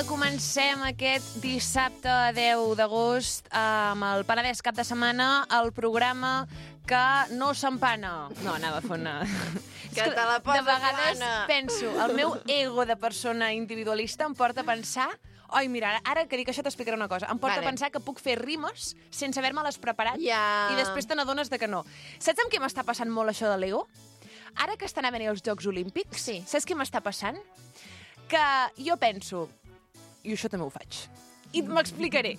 comencem aquest dissabte 10 d'agost amb el Penedès cap de setmana, el programa que no s'empana. No, anava a fer una... Que te la poses, de vegades Anna. penso, el meu ego de persona individualista em porta a pensar... Oi, mira, ara que dic això t'explicaré una cosa. Em porta a pensar que puc fer rimes sense haver-me-les preparat Ja. i després te n'adones de que no. Saps amb què m'està passant molt això de l'ego? Ara que estan a venir els Jocs Olímpics, Sí. saps què m'està passant? Que jo penso, i això també ho faig, i m'explicaré.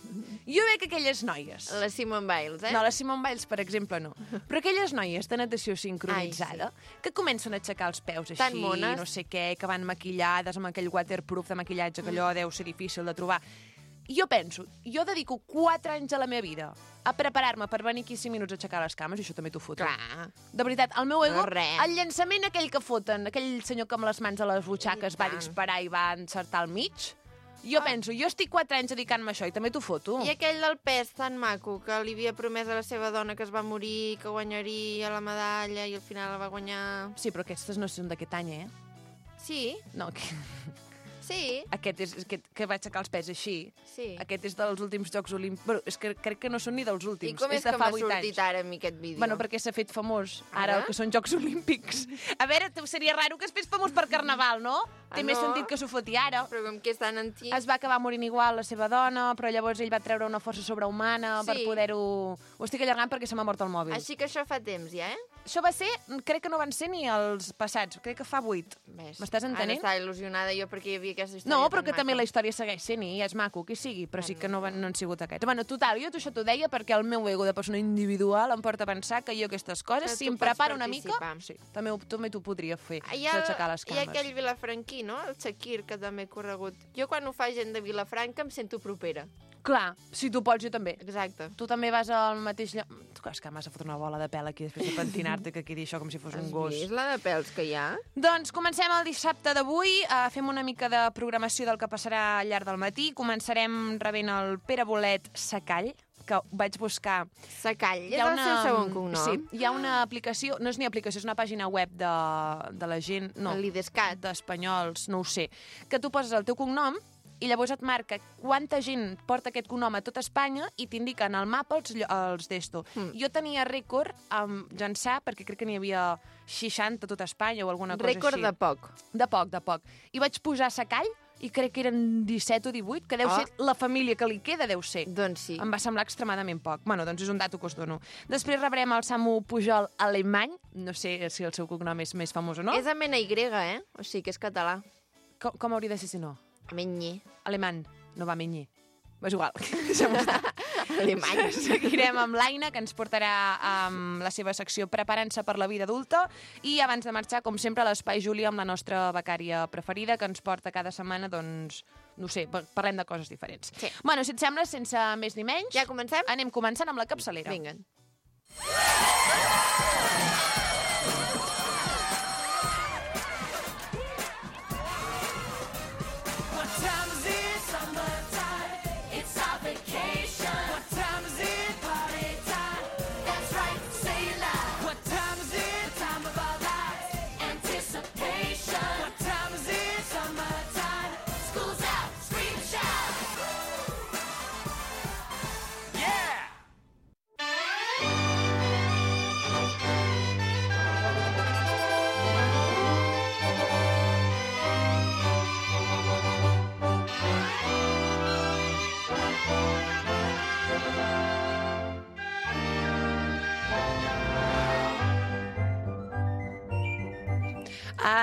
Jo veig aquelles noies... La Simone Biles, No, la Simone Biles, per exemple, no. Però aquelles noies de natació sincronitzada que comencen a aixecar els peus Tan així, mones. no sé què, que van maquillades amb aquell waterproof de maquillatge, que allò deu ser difícil de trobar. I jo penso, jo dedico 4 anys a la meva vida a preparar-me per venir aquí 5 minuts a aixecar les cames, i això també t'ho foto. Clar. De veritat, el meu ego, No, res. el llançament aquell que foten, aquell senyor que amb les mans a les butxaques I va tant. disparar i va encertar al mig, jo penso, jo estic 4 anys dedicant-me a això i també t'ho foto. I aquell del pes tan maco, que li havia promès a la seva dona que es va morir, que guanyaria la medalla i al final la va guanyar... Sí, però aquestes no són d'aquest any, eh? Sí, No, sí, aquest és que va aixecar els pes així. sí. Aquest és dels últims Jocs Olímpics. Bueno, és que crec que no són ni dels I últims. com és de que fa m'ha 8 sortit anys. ara a mi aquest vídeo? Bueno, perquè s'ha fet famós, ara Ara? que són Jocs Olímpics. A veure, seria raro que es fes famós per Carnaval, no? Té més no. sentit que s'ho foti ara. Però com que és tan antic... Es va acabar morint igual la seva dona, però llavors ell va treure una força sobrehumana per Sí. poder-ho... Ho estic allargant perquè se m'ha mort el mòbil. Així que això fa temps, ja, eh? Això va ser, crec que no van ser ni els passats, crec que fa 8. Ves. M'estàs entenent? Ara estava il·lusionada jo perquè hi havia aquesta història No, però tan que també maca. la història segueix sent i és maco, qui sigui, però sí que no han sigut aquests. Bueno, total, jo això t'ho deia perquè el meu ego de persona individual em porta a pensar que jo aquestes coses, Que si tu em pots preparo una mica, participar. sí, també t'ho podria fer, Hi ha, d'aixecar les hi ha cames. aquell vilafranquí, no? El Shakir, que també he corregut. Jo quan ho fa gent de Vilafranca em sento propera. Clar, si tu pots, jo també. Exacte. Tu també vas al mateix lloc... Tu és que m'has de fotre una bola de pèl aquí després de pentinar-te, que aquí dir això com si fos un Has gos. vist la de pèls que hi ha? Doncs comencem el dissabte d'avui, fem una mica de programació del que passarà al llarg del matí. Començarem rebent el Pere Bolet Secall, que vaig buscar. Secall, és el seu segon cognom? Sí, hi ha una aplicació, no és ni aplicació, és una pàgina web de la gent, no, L'Idescat. d'espanyols, no ho sé, que tu poses el teu cognom i llavors et marca quanta gent porta aquest cognom a tot Espanya i t'indiquen al mapa els d'esto. Jo tenia rècord amb llançar, perquè crec que n'hi havia 60 a tot Espanya o alguna cosa Rècord així. de poc. De poc. I vaig posar Secall i crec que eren 17 o 18, que deu ser la família que li queda, deu ser. Doncs sí. Em va semblar extremadament poc. Bueno, doncs és un dato que us dono. Després rebrem el Samu Pujol alemany. No sé si el seu cognom és més famós o no. És amb NY, eh? O sigui que és català. Com hauria de ser si no? Menyi. Alemany. No va menyer. És igual. Deixem-ho estar. Alemany. Seguirem amb l'Aina, que ens portarà amb la seva secció Preparant-se per la vida adulta. I abans de marxar, com sempre, a l'Espai Júlia amb la nostra becària preferida, que ens porta cada setmana, doncs, no sé, parlem de coses diferents. Sí. Bueno, si et sembla, sense més ni menys... Ja comencem? Anem començant amb la capçalera. Vinga.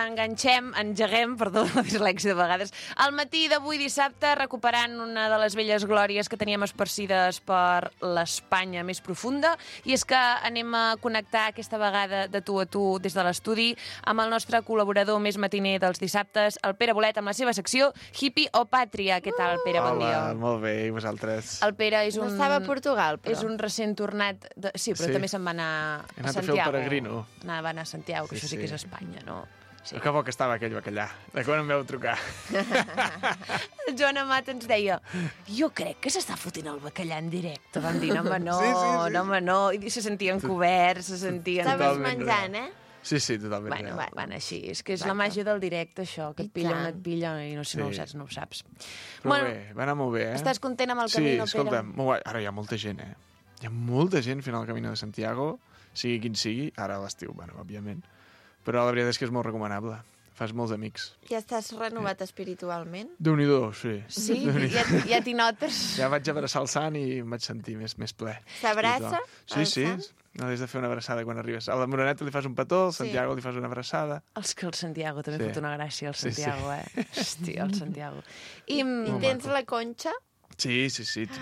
Engeguem, perdó, la dislèxia de vegades, al matí d'avui dissabte, recuperant una de les velles glòries que teníem esparcides per l'Espanya més profunda, i és que anem a connectar aquesta vegada de tu a tu des de l'estudi amb el nostre col·laborador més matiner dels dissabtes, el Pere Bolet, amb la seva secció Hippie o Pàtria. Què tal, Pere? Bon dia. Hola, molt bé, i vosaltres? El Pere és No un... estava a Portugal, però. És un recent tornat... Sí, però Sí. també se'n va anar He a anat a fer el Santiago. peregrino. Va anar a Santiago, que Sí, això sí que és sí. Espanya, no? Sí. Que bo que estava aquell bacallà. De quan em veu trucar? El Joan Amat ens deia, jo crec que s'està fotent el bacallà en directe. Vam dir, no, home, no, Sí, sí, sí. no, home, no. I se sentien coberts, se sentien... Estaves Totalment menjant, eh? Sí, totalment. Bueno, real. van així. És que és la màgia del directe, això, que I et pilla on tant. et pilla i no, si no ho Sí. saps, no ho saps. Però bé, va anar molt bé, Estàs content amb el camí, Sí, escolta, molt guai. Ara hi ha molta gent, Hi ha molta gent fent el Camino de Santiago, sigui quin sigui, ara a l'estiu, bueno, òbviament. Però la veritat és que és molt recomanable. Fas molts amics. Ja estàs renovat espiritualment? Déu-n'hi-do, sí. Sí, ja t'hi notes. Ja vaig abraçar el sant i em vaig sentir més ple. S'abraça Sí, el sí. sant? No has de fer una abraçada quan arribes. A la Moreneta li fas un petó, al Santiago li fas una abraçada. Els que el Santiago també Sí. fot una gràcia, el Sí, sí. Santiago, Hòstia, el Santiago. I I tens la conxa? Sí,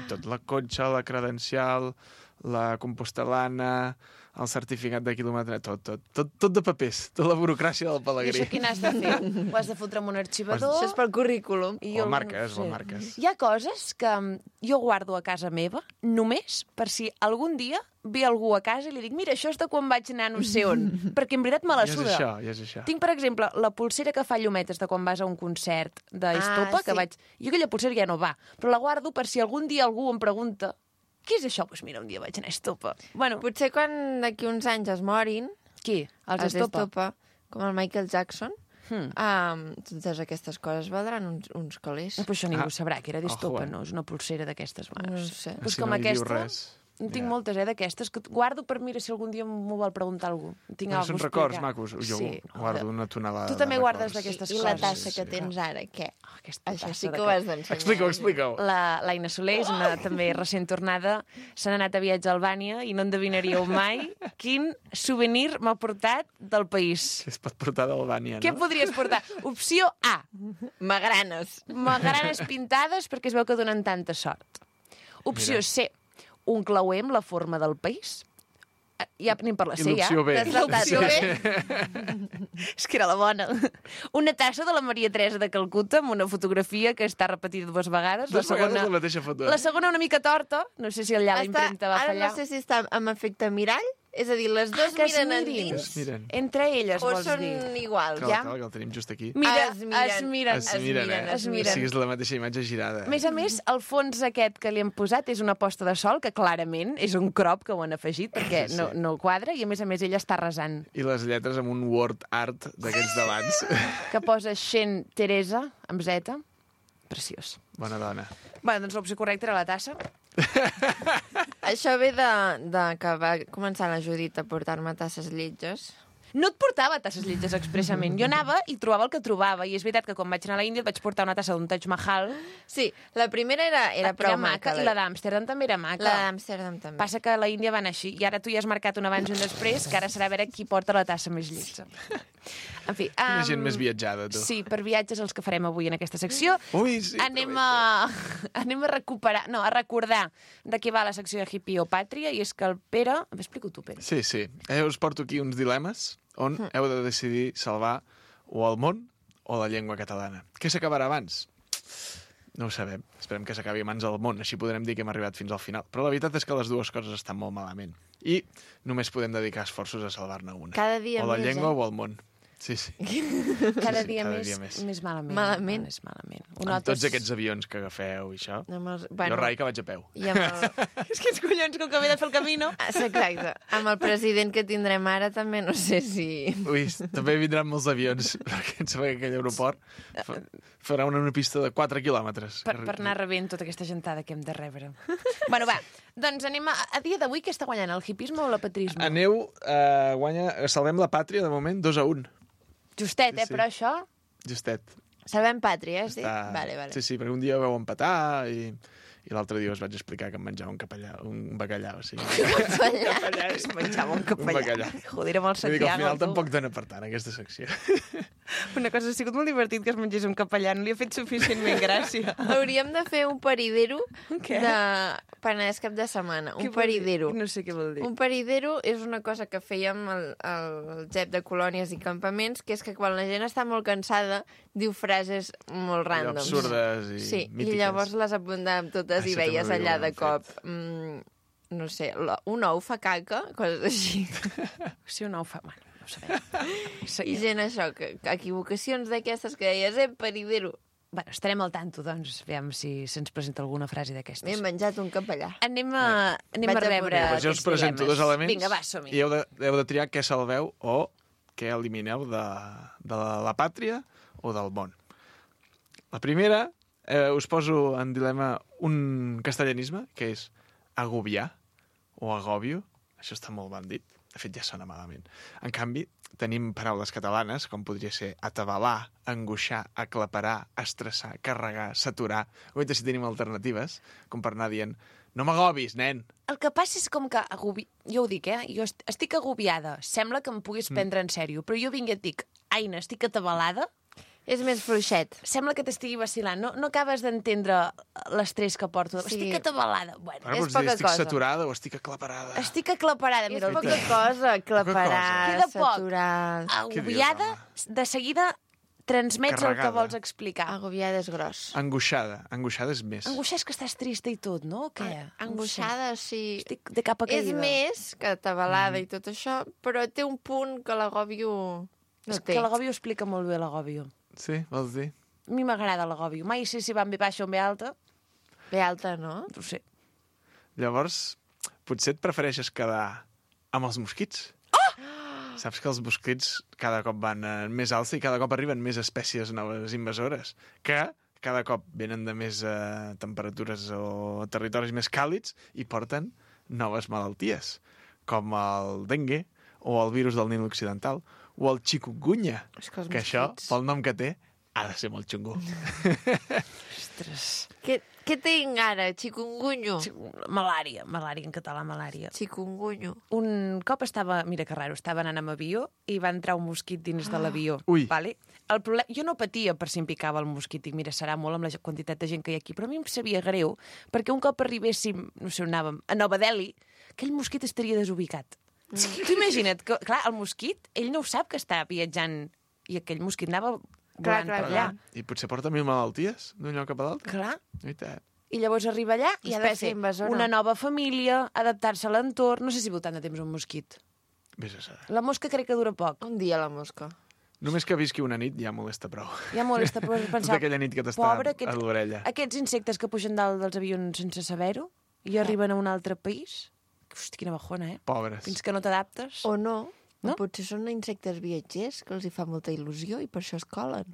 tot la conxa, la credencial, la compostel·lana, el certificat de quilòmetre, tot de papers, tota la burocràcia del I pelegrí. això quin has de fer? Ho has de fotre amb un arxivador? Això és pel currículum. I O jo marques, no o sé. marques. Hi ha coses que jo guardo a casa meva només per si algun dia ve algú a casa i li dic mira, això és de quan vaig anar no sé on, perquè en veritat me la Ja és suda. això, ja és això. Tinc, per exemple, la pulsera que fa llumetes de quan vas a un concert d'Estopa, que sí. vaig... Jo aquella pulsera ja no va, però la guardo per si algun dia algú em pregunta què és això? Doncs mira, un dia vaig anar a Estopa. Bueno, Potser quan d'aquí uns anys es morin, qui? Els Estopa? com el Michael Jackson, Hmm. totes aquestes coses valdran uns calés. Però això ningú sabrà que era d'Estopa, Ojo, no? És una pulsera d'aquestes. No sé. Pues Si com no li diu aquesta, res. en tinc Ja. moltes, d'aquestes, que guardo per mira si algun dia m'ho vol preguntar algú. Tinc Però alguna són cosa a records explicar. macos. Jo Sí, guardo una tonelada Tu també de guardes records. d'aquestes I coses. la tassa Sí, que sí. tens ara, què? Oh, aquesta Això tassa sí que de ho has d'ensenyar. Explica-ho. L'Aina Soler és una també recent tornada, s'han anat a viatge a Albània i no endevinaríeu mai quin souvenir m'ha portat del país. Que es pot portar d'Albània, Què no? podries portar? Opció A, Magranes. magranes pintades perquè es veu que donen tanta sort. Opció Mira. C, un clauer amb la forma del país. Ja anem per la I C, ja. l'opció B. T'has saltat L'opció bé? És que era la bona. Una tassa de la Maria Teresa de Calcuta amb una fotografia que està repetida dues vegades. Dues vegades la mateixa foto. La segona una mica torta. No sé si allà la impremta va Ara fallar. no sé si està amb efecte mirall, és a dir, les dues que es miren mirin. endins, Miren. Entre elles, o vols són dir? iguals. Ja. Que el tenim just aquí. Mira, Es miren. es miren. Es miren, es miren. Sí, és la mateixa imatge girada. A més a més, el fons aquest que li hem posat és una posta de sol, que clarament és un crop que ho han afegit, perquè Sí, sí. no quadra, i a més ella està resant, I les lletres amb un word art d'aquests d'abans. que posa Xen Teresa, amb Z. Preciós. Bona dona. Bé, doncs l'opció correcta era la tassa. Això ve de que va començar la Judit a portar-me tasses lletges. No et portava tasses lletges expressament. Jo anava i trobava el que trobava. I és veritat que quan vaig anar a l'Índia et vaig portar una tassa d'un Taj Mahal. Sí, la primera era prou maca. I la d'Amsterdam també era maca. La d'Amsterdam també. Passa que a la Índia van així. I ara tu ja has marcat un abans i un després, que ara serà a veure qui porta la tassa més lletja. En fi... Una gent més viatjada, tu. Sí, per viatges els que farem avui en aquesta secció. Ui, sí. Anem a recuperar, no, a recordar de què va la secció de Hippie o Pàtria, i és que el Pere... Explica-ho tu, Pere. Sí. Us porto aquí uns dilemes on heu de decidir salvar o el món o la llengua catalana. Què s'acabarà abans? No ho sabem. Esperem que s'acabi abans el món, així podrem dir que hem arribat fins al final. Però la veritat és que les dues coses estan molt malament. I només podem dedicar esforços a salvar-ne una. Cada dia o la més, llengua o el món. Sí. Cada sí, dia cada més, dia més. més malament. Malament. Més malament. Amb tots aquests avions que agafeu i això. Jo rai que vaig a peu. I amb el... És que els collons, com que ve de fer el camino... Exacte. Amb el president que tindrem ara també no sé si... Ui, també vindran molts avions, perquè em sembla que aquell aeroport farà una pista de 4 quilòmetres. Per anar rebent tota aquesta gentada que hem de rebre. Bueno, va, doncs anem a dia d'avui, què està guanyant, el hipisme o l'apatrisme? Aneu, salvem la pàtria, de moment, 2-1. Justet, Sí. però això... Justet. Salvem pàtria, sí? Està- Vale. Sí, perquè un dia vau empatar i l'altre dia us vaig explicar que em menjava un bacallà. O sigui, Bacallà. Es menjava un un capellà. bacallà. Joder, amb el Vull dir que al Santiago. final tu. tampoc dona per tant, aquesta secció. Una cosa, ha sigut molt divertit que es mengés un capellà, no li ha fet suficientment gràcia. Hauríem de fer un paridero Què? de Penedès cap de setmana. Què Un vol dir? paridero. No sé què vol dir. Un paridero és una cosa que fèiem al GEP de colònies i campaments, que és que quan la gent està molt cansada diu frases molt Allò ràndoms. absurdes i Sí, mítiques. i llavors les apuntàvem totes i Això veies també ho allà de hem cop... no sé, un ou fa caca, coses així. Si un ou fa... Bueno, no ho sabem. I Seguim. gent això, que equivocacions d'aquestes que deies, paridero. Bueno, estarem al tanto, doncs, aviam si se'ns presenta alguna frase M'he d'aquestes. menjat un capellà. Anem a Vaig a rebre posar. Doncs jo us aquests presento dilemes. dos elements Vinga, va, som-hi. i heu de triar què salveu o què elimineu de la pàtria o del món. La primera, us poso en dilema un castellanisme, que és agobiar o agòbio. Això està molt ben dit. De fet, ja sona malament. En canvi, tenim paraules catalanes, com podria ser atabalar, angoixar, aclaparar, estressar, carregar, saturar. Oita, si tenim alternatives, com per anar dient no m'agobis, nen. El que passa és com que... Jo ho dic, jo estic agobiada. Sembla que em puguis prendre en sèrio, però jo vinc i et dic, Aina, estic atabalada. És més fluixet. Sembla que t'estigui vacilant. No acabes d'entendre l'estrès que porto. Sí. Estic atabalada. Bueno, Ara és pots dir, poca estic cosa. saturada o estic aclaparada. estic aclaparada. És Mira, el poca dia. cosa, aclaparar, Queda poc. saturar... Agobiada, de seguida transmets el que Carregada. vols explicar. Agobiada és gros. Angoixada. Angoixada és més. Angoixar és que estàs trista i tot, no? Què? Angoixada, sí. Estic de capa caïda. És més que atabalada i tot això, però té un punt que l'agòbio no És té. que l'agòbio explica molt bé l'agòbio. Sí, vols dir? A mi m'agrada l'agòbio. Mai sé si va en B baixa o en B alta. Bé alta, no? No ho sé. Llavors, potser et prefereixes quedar amb els mosquits? Saps que els mosquits cada cop van més alça i cada cop arriben més espècies noves invasores, que cada cop venen de més temperatures o territoris més càlids i porten noves malalties, com el dengue o el virus del Nil Occidental o el chikungunya, És que els que això, mosquits- pel nom que té, ha de ser molt xungo. Ostres. Què tinc ara? Chikungunyo. Malària en català, malària. Chikungunyo. Un cop mira que raro, estava anant amb avió i va entrar un mosquit dins de l'avió. Ui. Vale? El problema, jo no patia per si em picava el mosquit, dic, mira, serà molt amb la quantitat de gent que hi ha aquí, però a mi em sabia greu, perquè un cop arribéssim, no sé on anàvem, a Nova Delhi, aquell mosquit estaria desubicat. Tu imagina't que, clar, el mosquit, ell no ho sap que està viatjant i aquell mosquit anava volant clar, per allà. I potser porta 1000 malalties d'un lloc cap a l'altre. Clar. I tant. I llavors arriba allà i ha de Espècie fer invasora. una nova família, adaptar-se a l'entorn. No sé si viu tant de temps un mosquit. Vés a saber. La mosca crec que dura poc. Un dia la mosca. Només que visqui una nit ja molesta prou. Ja molesta, però Tota pensar... aquella nit que t'està Pobre, a l'orella. Aquests insectes que pugen dalt dels avions sense saber-ho i arriben a un altre país. Hosti, quina bajona, eh? Pobres. Fins que no t'adaptes. O no. No? O potser són insectes viatgers que els hi fa molta il·lusió i per això es colen.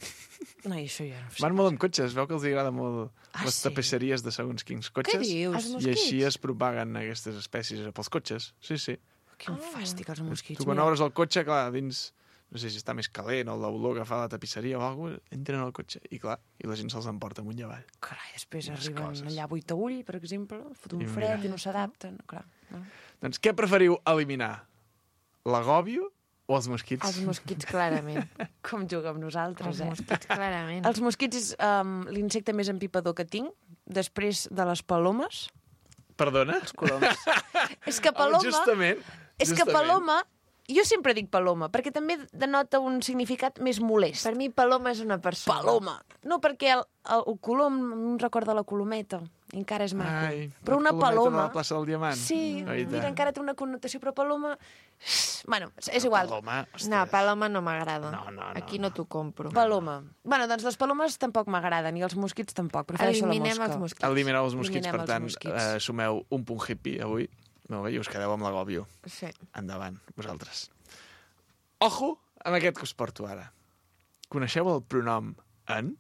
No, i això ja no ho sé. Van molt amb cotxes, veu que els agrada molt les sí? tapisseries de segons quins Què cotxes. dius? Els I mosquits? així es propaguen aquestes espècies pels cotxes. Sí, sí. Quin fàstic, els mosquits. Tu quan mira. obres el cotxe, clar, dins... No sé si està més calent o l'olor que fa la tapisseria o alguna cosa, entren al cotxe i clar, i la gent se'ls emporta amunt i avall. Carai, després Quines arriben coses. allà a Buitaüll, per exemple, fot un I fred mira. i no s'adapten. Clar. No? Doncs què preferiu eliminar? L'agòbio o els mosquits? Els mosquits, clarament. Com juga amb nosaltres, Els eh? mosquits, clarament. Els mosquits és l'insecte més empipador que tinc, després de les palomes. Perdona? Coloms. És que paloma... Justament. És que paloma... Jo sempre dic paloma, perquè també denota un significat més molest. Per mi, paloma és una persona. Paloma. No, perquè el colom em recorda la colometa. I encara és maco. Ai, però la una colometa paloma... de la plaça del Diamant. Sí, Ai, mira, tant. encara té una connotació, però paloma... Bueno, és igual. Paloma, ostres. No, paloma no m'agrada. No. Aquí no t'ho compro. Paloma. Bueno, doncs les palomes tampoc m'agraden, i els mosquits tampoc. Prefereixo la Eliminem mosca. els mosquits. Elimineu els mosquits, Eliminem per els tant, mosquits. sumeu un punt hippie avui. Molt bé, i us quedeu amb l'agòbio. Sí. Endavant, vosaltres. Ojo amb aquest que us porto ara. Coneixeu el pronom en?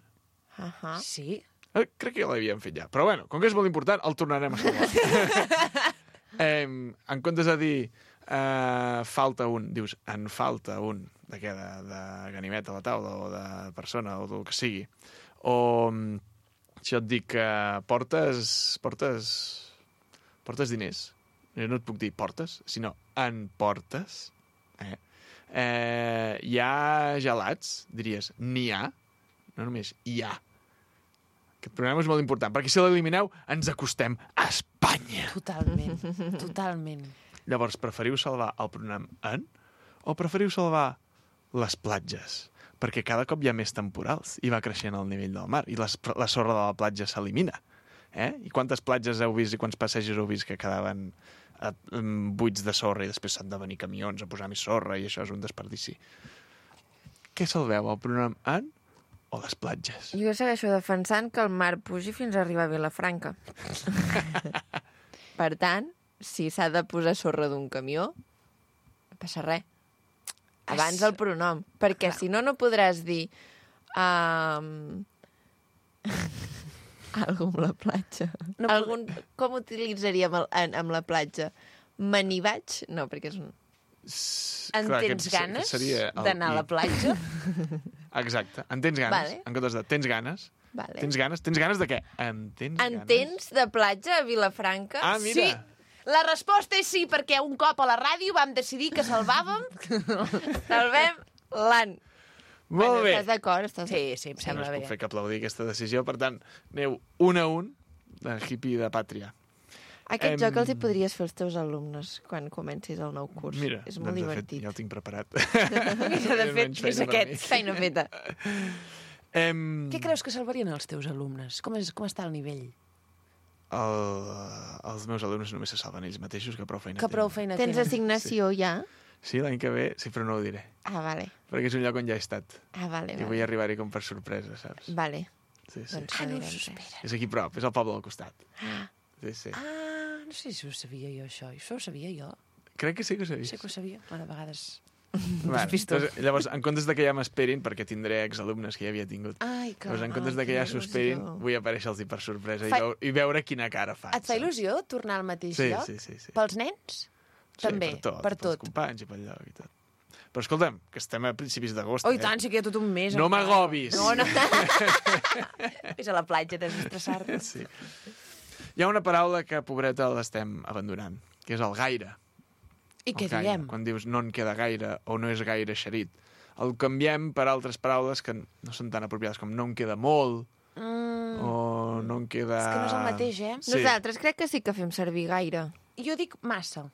Sí? Crec que ja l'havíem fet ja. Però bueno, com que és molt important, el tornarem a salvar. En comptes de dir falta un, dius en falta un. De què? De ganivet a la taula o de persona o del que sigui. O si jo et dic que portes diners. No et puc dir portes, sinó en portes. Hi ha gelats, diries n'hi ha, no només hi ha. Aquest programa és molt important, perquè si l'elimineu ens acostem a Espanya. Totalment, totalment. Llavors, preferiu salvar el pronom en o preferiu salvar les platges? Perquè cada cop hi ha més temporals i va creixent el nivell del mar i la sorra de la platja s'elimina. I quantes platges heu vist i quants passejos heu vist que quedaven buits de sorra i després s'han de venir camions a posar més sorra i això és un desperdici. Què salveu, el pronom en o les platges? Jo segueixo defensant que el mar pugi fins a arribar a Vilafranca. Per tant, si s'ha de posar sorra d'un camió, no passa res. abans el pronom, perquè si no, no podràs dir algú amb la platja. Com utilitzaríem amb la platja? Me n'hi vaig? No, perquè és un... Tens ganes d'anar a la platja? Exacte. En tens ganes. Vale. En comptes de tens ganes. Vale. Tens ganes? Tens ganes de què? En tens de platja a Vilafranca? Ah, mira. Sí. La resposta és sí, perquè un cop a la ràdio vam decidir que salvàvem... Salvem l'an. Molt bé. Estàs d'acord? Sí, em No sembla us bé. puc fer que aplaudir aquesta decisió. Per tant, aneu un a un de hippie de pàtria. Aquest joc els hi podries fer als teus alumnes quan comencis el nou curs. Mira, És molt divertit. De fet, ja el tinc preparat. Mira, de fet, és aquest. Feina feta. Què creus que salvarien els teus alumnes? Com està el nivell? Els meus alumnes només se salven ells mateixos, que prou feina Que prou feina Tens tenen. assignació ja? Sí, l'any que ve, sí, però no ho diré. Ah, vale. Perquè és un lloc on ja he estat. Vale. I vull arribar-hi com per sorpresa, saps? Vale. Sí. Doncs Ah, no direm us res. espera. És aquí prop, és al poble del costat. Ah, Sí. Ah, no sé si ho sabia jo, això. Això ho sabia jo. Crec que sí que ho sabies. Sí que ho sabia. Bueno, a vegades... Bueno, doncs, llavors, en comptes de que ja m'esperin, perquè tindré exalumnes que ja havia tingut, Ai, que... llavors, en comptes de que ja s'ho esperin, vull aparèixer-los per sorpresa i veure quina cara fan. Et fa il·lusió tornar al mateix lloc? Sí. Pels nens? Sí, També, per tot. Pels companys i pel lloc i tot. Però escolta'm, que estem a principis d'agost. Oh, i tant, sí que hi ha tot un mes. No encara. m'agobis. No. És a la platja, desestressar-te. Sí. Hi ha una paraula que, pobreta, l'estem abandonant, que és el gaire. I què El gaire. diem? Quan dius no en queda gaire o no és gaire eixerit. El canviem per altres paraules que no són tan apropiades com no en queda molt o no en queda... És que no és el mateix, eh? Sí. Nosaltres crec que sí que fem servir gaire. Jo dic massa.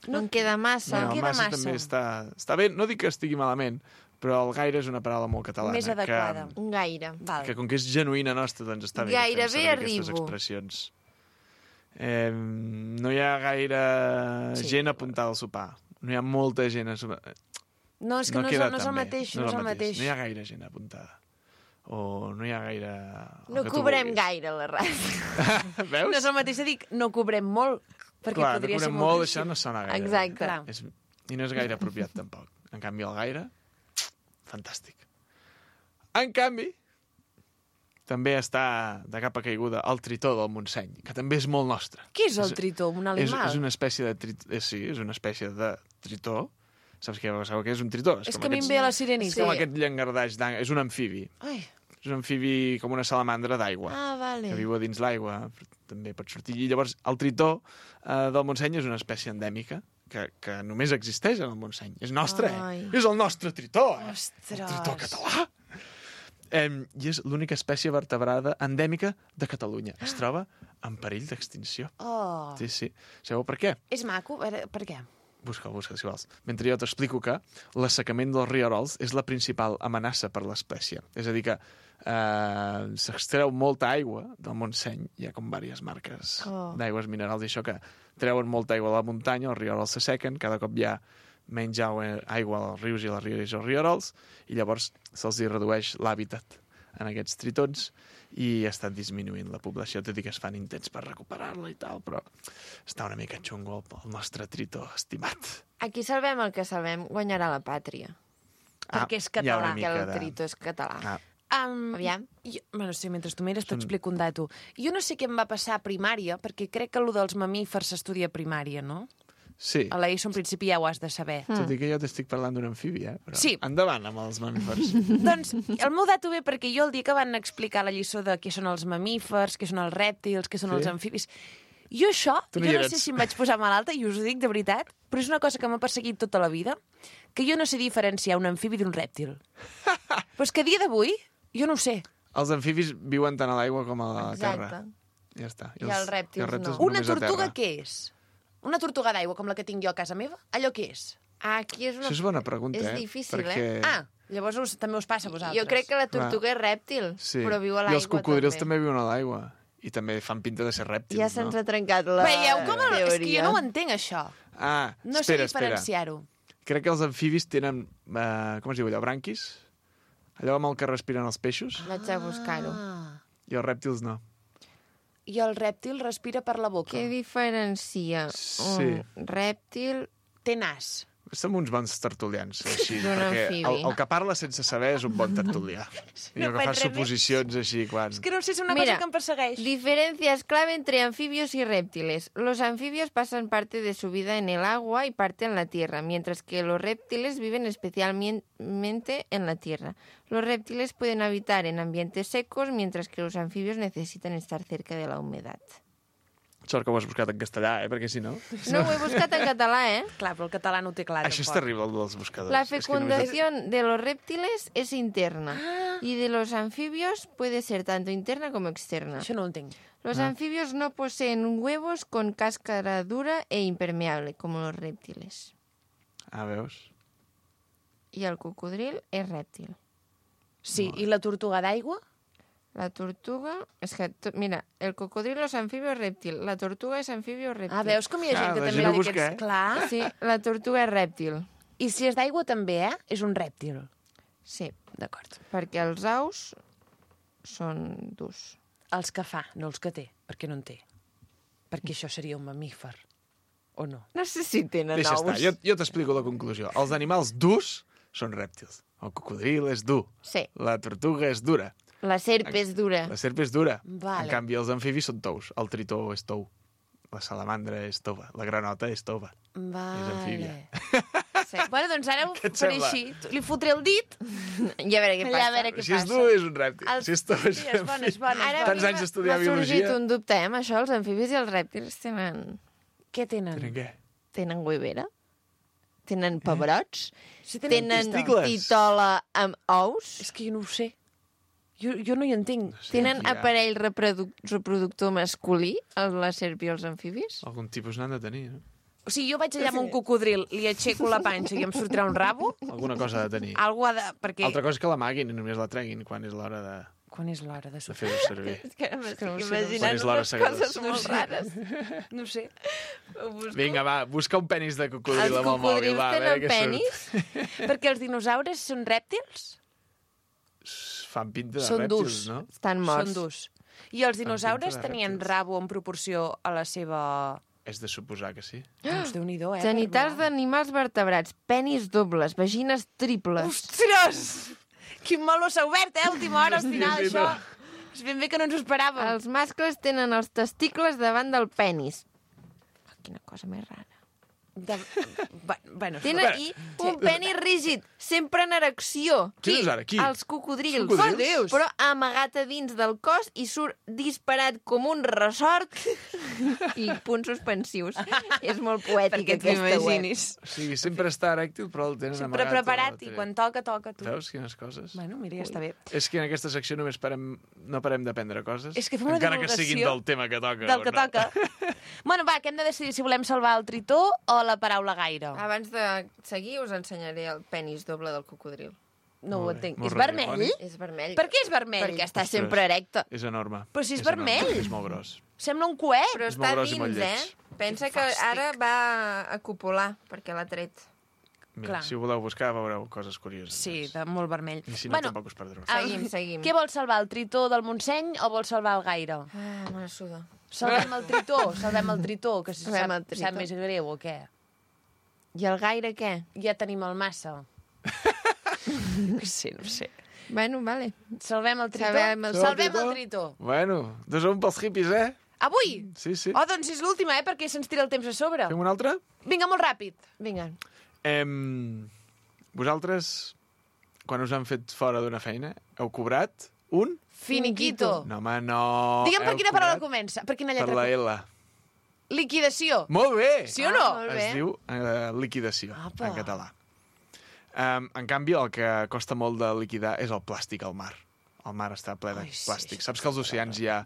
No en queda massa. No en queda massa. també està bé. No dic que estigui malament, però el gaire és una paraula molt catalana. Més adequada. Gaire. Val. Que com que és genuïna nostra, doncs està bé. que fem Gairebé servir aquestes arribo. expressions. No hi ha gaire gent apuntada al sopar. No hi ha molta gent a sopar. No, és que no és queda el tan bé. mateix. No és el mateix. No hi ha gaire gent apuntada. O no hi ha gaire... el No que tu cobrem vulguis. gaire a la ràdio. Veus? No és el mateix de dir no cobrem molt, perquè Clar, no podria ser cobrem molt... molt, això no sona gaire. Exacte. Clar. I no és gaire apropiat, tampoc. En canvi, el gaire, fantàstic. En canvi, també està de capa caiguda el tritó del Montseny, que també és molt nostre. Què és el tritó? Un animal? És una espècie de tritó. Sí, és una espècie de tritó. Saps què és un tritó? És que a mi em ve a la sirenita. És com aquest llangardaix d'angle. És un amfibi. Ai, És un amfibi com una salamandra d'aigua. Ah, vale. Que viu a dins l'aigua, també pot sortir. I llavors el tritó del Montseny és una espècie endèmica que només existeix en el Montseny. És nostre, Ai. És el nostre tritó, Ostres. El tritó català. I és l'única espècie vertebrada endèmica de Catalunya. Es troba en perill d'extinció. Oh. Sí. Sabeu per què? És maco? A veure, per què? Busca, si vols. Mentre jo t'explico que l'assecament dels rierols és la principal amenaça per l'espècie. És a dir que s'extreu molta aigua del Montseny. Hi ha com diverses marques d'aigües minerals i això que treuen molta aigua a la muntanya, els rierols s'assequen, cada cop hi ha menys aigua als rius i les rieres i els rierols, i llavors se'ls redueix l'hàbitat en aquests tritons i està disminuint la població, tot i que es fan intents per recuperar-la i tal, però està una mica xungo el nostre tritó estimat. Aquí salvem el que salvem, guanyarà la pàtria. Perquè és hi ha català, una Que mica el tritó és català. Aviam. Bueno, sí, mentre tu mires t'explico un dato. Jo no sé què em va passar a primària, perquè crec que allò dels mamífers s'estudia a primària, no? Sí, A l'ESO en principi ja ho has de saber. tot i que jo t'estic parlant d'un amfibi, però Sí. endavant amb els mamífers. Doncs el meu dato ve perquè jo el dia que van explicar la lliçó de què són els mamífers, què són els rèptils, què són Sí. els amfibis... Jo això, Tu no jo hi no eres. sé si em vaig posar malalta, i us ho dic de veritat, però és una cosa que m'ha perseguit tota la vida, que jo no sé diferenciar un amfibi d'un rèptil. Però és que a dia d'avui, jo no ho sé. Els amfibis viuen tant a l'aigua com a la terra. Exacte. Ja està. I els rèptils no. Una només a tortuga terra. què és? Una tortuga d'aigua com la que tinc jo a casa meva? Allò què és? Aquí és una... Això és bona pregunta, És difícil, perquè... Ah, llavors també us passa a vosaltres. Jo crec que la tortuga és rèptil, Sí. però viu a I l'aigua els cocodrils també viuen a l'aigua. I també fan pinta de ser rèptils, Ja se'ns ha trencat la Veieu com teoria. és que jo no ho entenc, això. Ah, No espera, sé diferenciar-ho. Crec que els amfibis tenen, com es diu allò, branquis? Allò amb el que respiren els peixos? Vaig a buscar-ho. I els rèptils no. I el rèptil respira per la boca. Què diferencia Sí. un rèptil... Té nas. Som uns bons tertulians, així, D'un perquè amfibi. el que parla sense saber és un bon tertulià. I el que faig fa res més. suposicions així, quan... És que no sé, és una Mira, cosa que em persegueix. Diferencias clave entre anfibios y reptiles. Los anfibios pasan parte de su vida en el agua y parte en la tierra, mientras que los reptiles viven especialmente en la tierra. Los reptiles pueden habitar en ambientes secos, mientras que los anfibios necesitan estar cerca de la humedad. Sort que ho has buscat en castellà, perquè si no... No, ho he buscat en català, ¿eh? Clar, però el català no ho té clar. Això és tampoc. terrible, el dels buscadors. La És que només- fecundación de los reptiles es interna y de los anfibios puede ser tanto interna como externa. Això no ho entenc. Los anfibios no poseen huevos con cáscara dura e impermeable, como los reptiles. Ah, veus? Y el cocodril es rèptil. Sí, i la tortuga d'aigua? La tortuga... És que, mira, el cocodrilo és anfibio o rèptil. La tortuga és anfibio o rèptil. Ah, veus com hi ha gent que la també gent ha ho dit busca, que és clar? Sí, la tortuga és rèptil. I si és d'aigua també, És un rèptil. Sí, D'acord. perquè els aus són durs. Els que fa, no els que té, perquè no en té. Perquè això seria un mamífer. O no? No sé si tenen Deixa ous. estar, jo t'explico la conclusió. Els animals durs són rèptils. El cocodril és dur. Sí, La tortuga és dura. la serp és dura. La serp és dura. Vale. En canvi, els amfibis són tous. El tritó és tou. La salamandra és tova. La granota és tova. Vale. amfíbia. Sí. Bueno, doncs ara ho Què et faré sembla? així. Li fotré el dit, Ja a veure què allà passa. a veure què Si és passa. dur, és un rèptil. Els- Si és tou, és Sí, un és bona, és amfibi. bona. Ara Tants anys d'estudiar m'ha sorgit biologia. un dubte, amb això. Els amfibis i els rèptils Què tenen? Tenen què? tenen huevera, tenen pebrots, Si tenen testicles. titola amb ous, És que jo no ho sé. Jo no hi entenc. Sí, tenen aquí hi ha aparell reproductor masculí, la serp i els amfibis. Algun tipus n'han de tenir, no? O sigui, jo vaig allà amb un cocodril, li aixeco la panxa i em sortirà un rabo, Alguna cosa ha de tenir. algú ha de... Perquè... Altra cosa és que l'amaguin i només la treguin quan és l'hora de Quan és l'hora de de sopar? fer-ho servir. És que m'estic no ho sé, imaginant Quan és l'hora unes segada. coses molt rares. No sé. Vinga, va, busca un penis de cocodril Els amb el mòbil. cocodrils Va, a veure tenen què penis? Perquè els dinosaures són rèptils? surt. Fan pinta de Són rèptils, durs. no? Estan morts. Són durs. I els dinosaures pinta de tenien rèptils. rabo en proporció a la seva... És de suposar que sí. Doncs Déu-n'hi-do, Genitals d'animals vertebrats, penis dobles, vagines triples. Ostres! Quin meló s'ha obert, a última hora, al final, Sí, sí, això. no. És ben bé que no ens ho esperàvem. Els mascles tenen els testicles davant del penis. Oh, quina cosa més rara. De... Bueno, Tenen aquí un penis rígid, sempre en erecció. Qui dius ara? Qui? Els cocodrils. Els cocodrils? Oh, Déus. Però amagat a dins del cos i surt disparat com un ressort i punts suspensius. És molt poètic perquè aquesta web. t'imaginis. O sigui, sempre està erèctil, però el tenen Sempre amagat. preparat o i el quan toca, toca, tu. Veus quines coses? Bueno, mira, ja està bé. És que en aquesta secció només no parem d'aprendre coses. És que fem una encara que divulgació siguin del tema que toca. Del o que no. toca. Bueno, va, que hem de decidir si volem salvar el tritó o la paraula gaire. Abans de seguir us ensenyaré el penis doble del cocodril. No ho Molt bé, entenc. molt És vermell? radiofònic. És vermell. Per què és vermell? Perquè està Ostres. sempre erecte. És enorme. Però si és enorme, vermell. És molt gros. Sembla un coet. Però És està molt gros i molt dins, lleig. Pensa Que que fàstic. ara va a copular, perquè l'ha tret. Mira, Clar. si ho voleu buscar, veureu coses curioses. Sí, de molt vermell. I si no, tampoc us perdreu. Seguim, seguim. Què vol salvar, el tritó del Montseny o vol salvar el gaire? Ah, me la suda. Salvem el tritó, salvem el tritó, que si Salvem sap, el tritó. sap més greu o què? I el gaire què? Ja tenim el massa. Sí, no sé. Bueno, vale. Salvem el tritó? Salvem el Salvem el tritó. Bueno, 2-1 pels hippies, eh? Avui? Sí, sí. Oh, doncs és l'última, perquè se'ns tira el temps a sobre. Fem una altra? Vinga, molt ràpid. Vinga. Vosaltres, quan us han fet fora d'una feina, heu cobrat un? Finiquito. No, home, no. Digue'm per Heu quina paraula cobrat comença. Per quina Per lletra? la L. Liquidació. Molt bé! Sí o no? molt bé. Es diu liquidació, Apa. en català. En canvi, el que costa molt de liquidar és el plàstic al mar. El mar està ple de Ai, sí, plàstic. això Saps que als oceans hi ha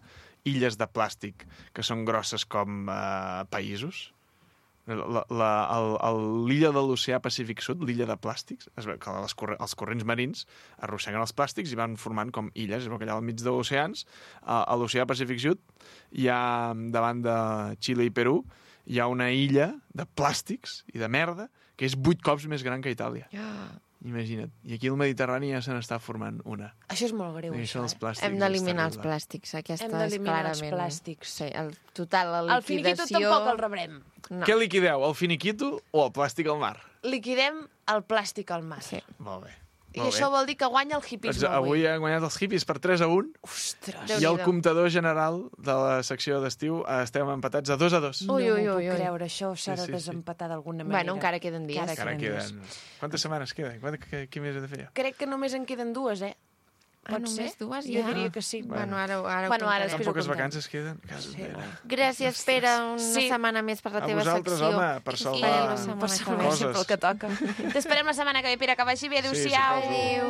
illes de plàstic que són grosses com països? L'illa de l'oceà Pacífic Sud, l'illa de plàstics, es veu que els corrents marins arrosseguen els plàstics i van formant com illes. Es veu que allà al mig de oceans, a l'oceà Pacífic Sud, hi ha, davant de Xile i Perú, hi ha una illa de plàstics i de merda que és 8 cops més gran que Itàlia. Imagina't. I aquí al Mediterrani ja se n'està formant una. Això és molt greu, I això, són els plàstics. Hem d'eliminar és els terrible. plàstics. Aquesta Hem és d'eliminar els clarament... plàstics. Sí, total, la El finiquito liquidació... tampoc el rebrem. No. Què liquideu, el finiquito o el plàstic al mar? Liquidem el plàstic al mar. Sí. Molt bé. I això vol dir que guanya el Doncs hipisme avui han guanyat els hippies per 3-1 Ostres. i el Déu-n'hi-do. comptador general de la secció d'estiu estem empatats a 2-2. No Ui, m'ho ui, puc ui, ui. creure, això s'ha de Sí. desempatar d'alguna manera. Bueno, encara queden dies. Encara Encara queden queden... Quantes setmanes queden? Què més he de fer jo? Crec que només en queden 2, eh? Pot només ser? 2 Jo ja? diria que sí. Bueno, ara ho Bueno, ara comptarem. després Tan ho poques comptem. vacances queden? Sí. Gràcies, Pere, una Sí. setmana més per la A teva vosaltres, secció. home, per I salvar farem la setmana Per que salvar ve. coses. sempre el que toca. T'esperem la setmana que ve, Pere, que vagi bé. Adéu-siau. suposo. Adéu.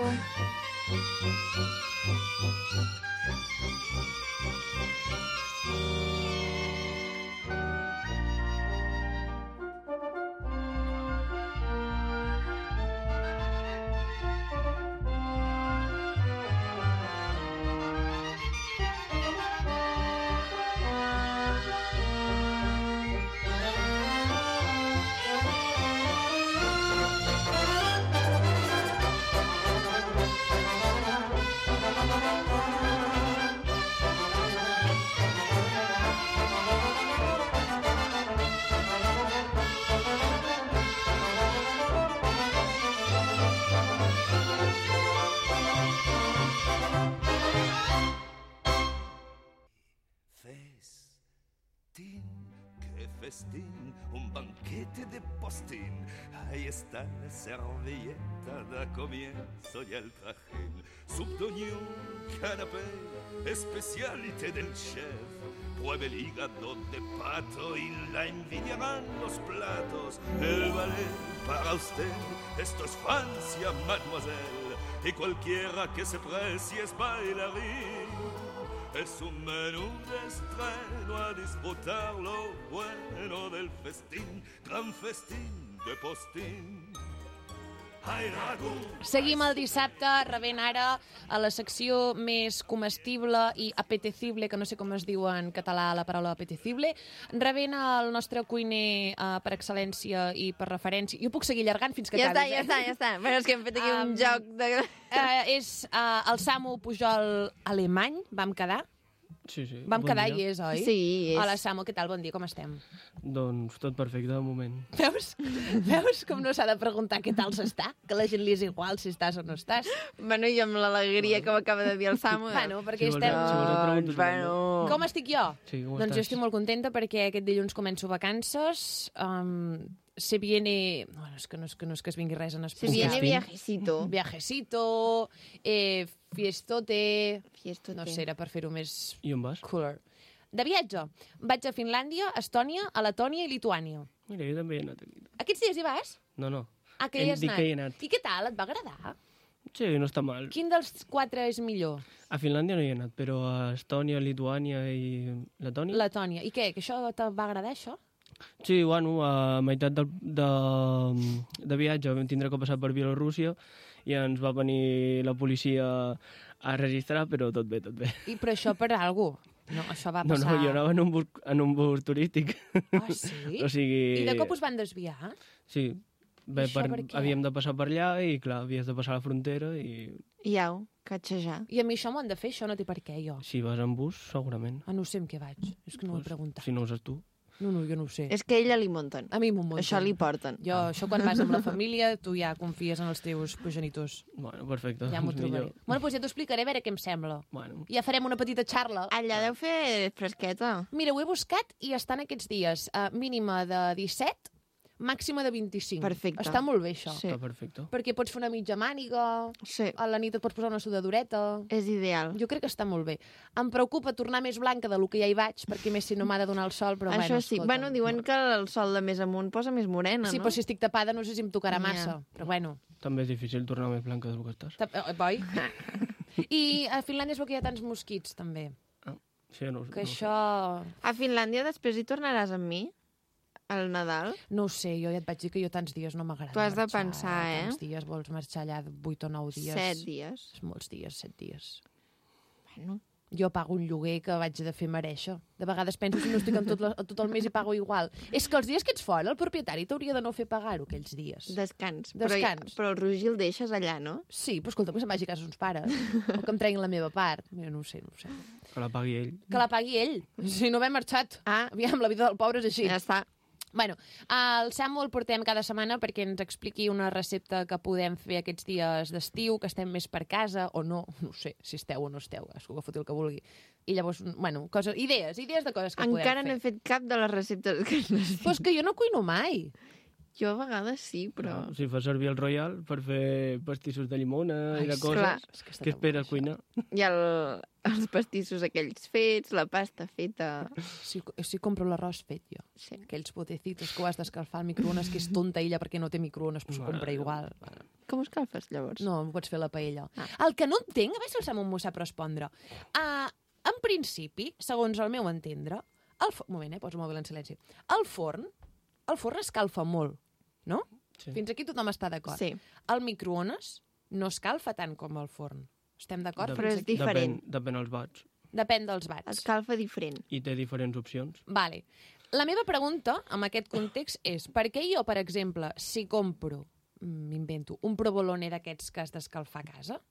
Festín, qué festín, un banquete de postín. Ahí está la servilleta, da comienzo y el trajín. Subdoñón, canapé, especialité del chef. Pruebe el hígado de pato y la envidiarán los platos. El ballet para usted, esto es Francia, mademoiselle. Y cualquiera que se precie es bailarín. Es un menú de estreno a disfrutar lo bueno del festín, gran festín de postín. Ai, rago! Seguim el dissabte rebent ara a la secció més comestible i apetecible, que no sé com es diu en català la paraula apetecible, rebent el nostre cuiner per excel·lència i per referència. Jo puc seguir allargant fins que Ja està, acabis, ja està. Però és que hem fet aquí un joc de... És el Samu Pujol alemany, vam quedar. Sí, sí. Vam bon quedar dia. i és, oi? Sí, és. Hola, Samu, què tal? Bon dia, com estem? Doncs tot perfecte, de moment. Veus com no s'ha de preguntar què tal s'està? Que a la gent li és igual si estàs o no estàs. Bueno, i amb l'alegria que m'acaba de dir el Samu. Bueno, perquè Si vols- estem... si vols et pregunto si Bueno... Com estic jo? Sí, com Doncs jo estàs? estic molt contenta perquè aquest dilluns començo vacances. Se viene... Bueno, és que no és que es vingui res en Se especial. viene viajecito. Viajecito, fiestote... Fiestote. No sé, era per fer-ho més I on vas? cooler. De viatge. Vaig a Finlàndia, Estònia, a Letònia i Lituània. Mira, jo també he anat aquí. Aquests dies hi vas? No, no. Ah, que hi has Dic anat. que hi he anat. I què tal? Et va agradar? Sí, no està mal. Quin dels 4 és millor? A Finlàndia no hi he anat, però a Estònia, Lituània i Letònia... Letònia. I què? Que això te va agradar, això? Sí, bueno, a meitat de viatge vam tindre que passar per Bielorússia i ens va venir la policia a registrar, però tot bé, tot bé. Però això per algú? No, això va No, passar... no, jo anava en un bus turístic. Ah, sí? O sigui... I de cop us van desviar? Sí, bé, Això per què? havíem de passar per allà i, clar, havies de passar la frontera i I au, catxejar. I a mi això m'ho han de fer, això no té per què, jo. si vas en bus, segurament. Ah, no sé amb què vaig. És que no ho he preguntat. Si no ho saps tu. No, jo no ho sé. És que a ella li munten. A mi m'ho munten. Això li porten. Jo, això quan vas amb la família, tu ja confies en els teus progenitors. Bueno, perfecte. Ja m'ho doncs trobaré. millor. Bueno, doncs ja t'ho explicaré, a veure què em sembla. Bueno, Ja farem una petita xarla. Allà deu fer fresqueta. Mira, ho he buscat i estan aquests dies. Mínima de 17, màxima de 25. Perfecte. Està molt bé, això. Sí. està perfecte. Perquè pots fer una mitja màniga, Sí, a la nit et pots posar una sudadureta... és ideal. Jo crec que està molt bé. Em preocupa tornar més blanca del que ja hi vaig, perquè més si no m'ha de donar el sol, però Això bueno, sí. escolta. Bueno, diuen que el sol de més amunt posa més morena, Sí, no? però si estic tapada no sé si em tocarà Ja. massa. Però bueno, També és difícil tornar més blanca del que estàs. boi? I a Finlàndia es veu que hi ha tants mosquits, també. Sí, no, Que no, això... A Finlàndia després hi tornaràs amb mi? Al Nadal? No ho sé, jo ja et vaig dir que jo tants dies no m'agrada Tu has de marxar, pensar, eh? Tants dies, vols marxar allà 8 o 9 dies. 7 dies. És molts dies, 7 dies. Bueno, Jo pago un lloguer que vaig de fer mereixer. De vegades penso si no estic en tot el mes i pago igual. És que els dies que ets fora, el propietari t'hauria de no fer pagar-ho aquells dies. Descans. Descans. Però el Roger el deixes allà, no? Sí, però escolta, que se'n vagi a casa els pares. O que em treguin la meva part. Mira, no ho sé. Que la pagui ell. Que la pagui ell. Si no m'he marxat. Aviam, la vida del pobre és així. Ja està. Bueno, el Samu el portem cada setmana perquè ens expliqui una recepta que podem fer aquests dies d'estiu, que estem més per casa, o no sé, si esteu o no esteu, que foti el que vulgui. I llavors, bueno, idees de coses que podem fer. Encara no he fet cap de les receptes que necessito. Però és que jo no cuino mai. Jo a vegades sí, però... No, si fa servir el Royal per fer pastissos de llimona i de coses, clar. què esperes cuinar? I els pastissos aquells fets, la pasta feta... Sí, compro l'arròs fet, jo. Sí. Aquells potecitos que ho has d'escalfar al microones, que és tonta ella perquè no té microones, però s'ho compra igual. Com ho escalfes, llavors? No, pots fer la paella. El que no entenc, a veure si el Samu m'ho sap respondre. En principi, segons el meu entendre... Un moment, poso el mòbil en silenci. El forn escalfa molt, no? Sí. Fins aquí tothom està d'acord. Sí. El microones no escalfa tant com el forn. Estem d'acord? Però és diferent. Depèn dels watts. Depèn dels watts. Escalfa diferent. I té diferents opcions. Vale. La meva pregunta, en aquest context, és per què jo, per exemple, si compro, m'invento, un provolone d'aquests que has d'escalfar a casa,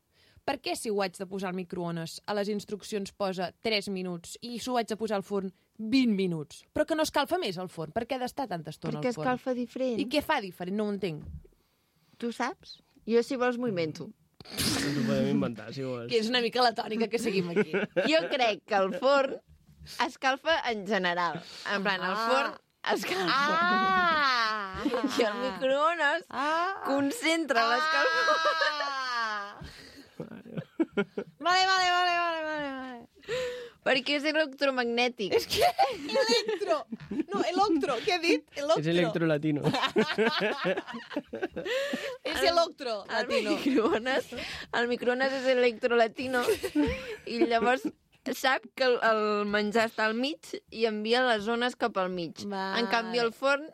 per què si ho haig de posar al microones a les instruccions posa 3 minuts i si ho haig de posar al forn 20 minuts? Però que no escalfa més el forn. Per què ha d'estar tanta estona al forn? Perquè escalfa diferent. I què fa diferent? No ho entenc. Tu saps? Jo, si vols, m'ho invento. Ens ho podem inventar, si vols. Que és una mica la tònica que seguim aquí. Jo crec que el forn escalfa en general. En plan, el forn escalfa. I el microones concentra l'escalfor. Vale. Perquè és electromagnètic. És que electro. No, electro. Què ha dit? Electro. És electrolatino. És electro latino. El microones és electrolatino i llavors sap que el menjar està al mig i envia les zones cap al mig. Vale. En canvi, el forn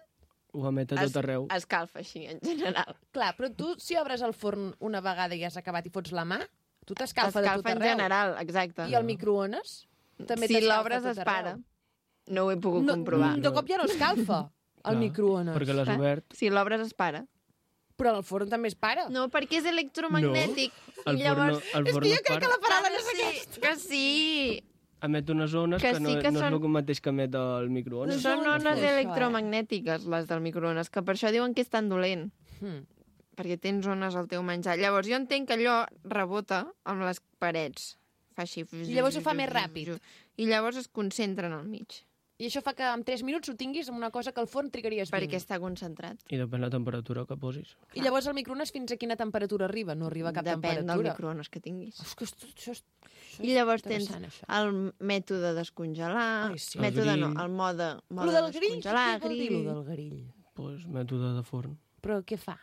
Ho emet a tot arreu. escalfa així, en general. Clar, però tu, si obres el forn una vegada i has acabat i fots la mà, tu t'escalfa de tot Escalfa en arreu. general, exacte. I el microones també Si t'escalfa l'obres tot es para. arreu. No ho he pogut comprovar. De cop ja no escalfa, el Clar, microones. Perquè l'has obert. Si l'obres es para. Però el forn també es para. No, perquè és electromagnètic. El I llavors... forn no es para. la paraula Ah, sí, que sí. Emet unes zones Que que, no, sí que no és són- el mateix que emet el microones. Són no ones sé això, electromagnètiques, les del microones, que per això diuen que és tan dolent. Hmm. Perquè tens zones al teu menjar. Llavors, jo entenc que allò rebota amb les parets. Fa així... I llavors ho fa més ràpid. I llavors es concentra en el mig. I això fa que en 3 minuts ho tinguis amb una cosa que al forn trigaries 20. Perquè està concentrat. I depèn la temperatura que posis. I llavors el microones fins a quina temperatura arriba? No arriba a cap Depèn temperatura. del microones que tinguis. És que això és I llavors tens interessant, això. el mètode descongelar, Ai, sí. mètode El no, grill. el mode Lo del grill, descongelar, què vol dir grill. lo del grill? Pues, mètode de forn. Però què fa?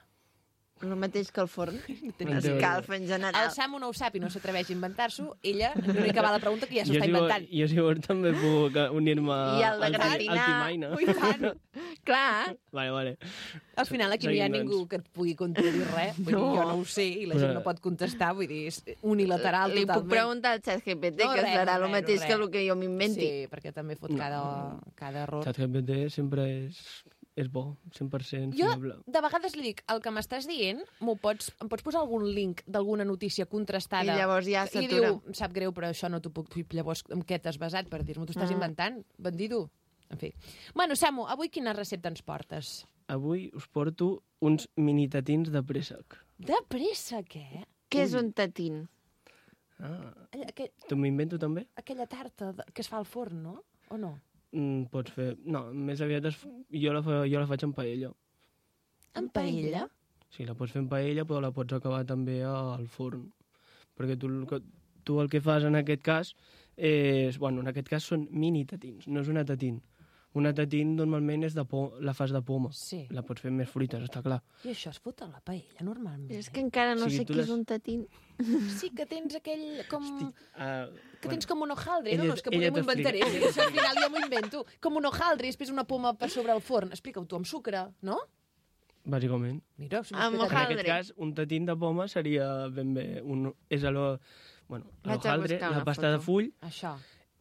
El mateix que el forn. teoria. Escalfa en general. El Samu no ho sap i no s'atreveix a inventar-s'ho. Ella, l'única va la pregunta que ja s'ho està inventant. Jo si vols també puc unir-me I el de al gratinar. Timaina. Ui, tant. Clar, Vale. Al final aquí no hi ha Seguim, ningú doncs. que et pugui contradir res. Vull dir, jo no ho sé i la gent no pot contestar. Vull dir, és unilateral li puc totalment. preguntar al xat GPT, No, que res, serà el res, mateix res. que el que jo m'inventi. Sí, perquè també fot cada error. ChatGPT sempre és bo, 100% Jo, fiable. de vegades li dic, el que m'estàs dient, em pots posar algun link d'alguna notícia contrastada? I llavors ja I s'atura. diu, em sap greu, però això no t'ho puc dir. Llavors, en què t'has basat per dir-m'ho? T'ho estàs inventant? Bandido? En fi. Bueno, Samu, avui quina recepta ens portes? Avui us porto uns mini tatins de préssec. De pressa, què? Què és un tatín? Tu m'invento també? Aquella tarta que es fa al forn, no? O no? Pots fer... No, més aviat jo la faig en paella. En paella? Sí, la pots fer en paella, però la pots acabar també al forn. Perquè tu el que fas en aquest cas és... Bueno, en aquest cas són mini tatins, no és una tatín. Una tatín normalment és la fas de poma. Sí. La pots fer més fruites, està clar. I això es fot a la paella, normalment. És que encara no O sigui, sé tu què és les- un tatín. Sí, que tens aquell com... que bueno, tens com un hojaldre, ella- no? És que ella poder m'ho inventaré. t'explica. Això al final ja m'ho invento. Com un hojaldre i després una poma per sobre el forn. Explica-ho tu, amb sucre, no? Bàsicament. Mira, si m'ho Amb explicat. En hojaldre. aquest cas, un tatín de poma seria ben bé... És bueno, Vaig a l'hojaldre, buscar la una pasta de foto. full, Això.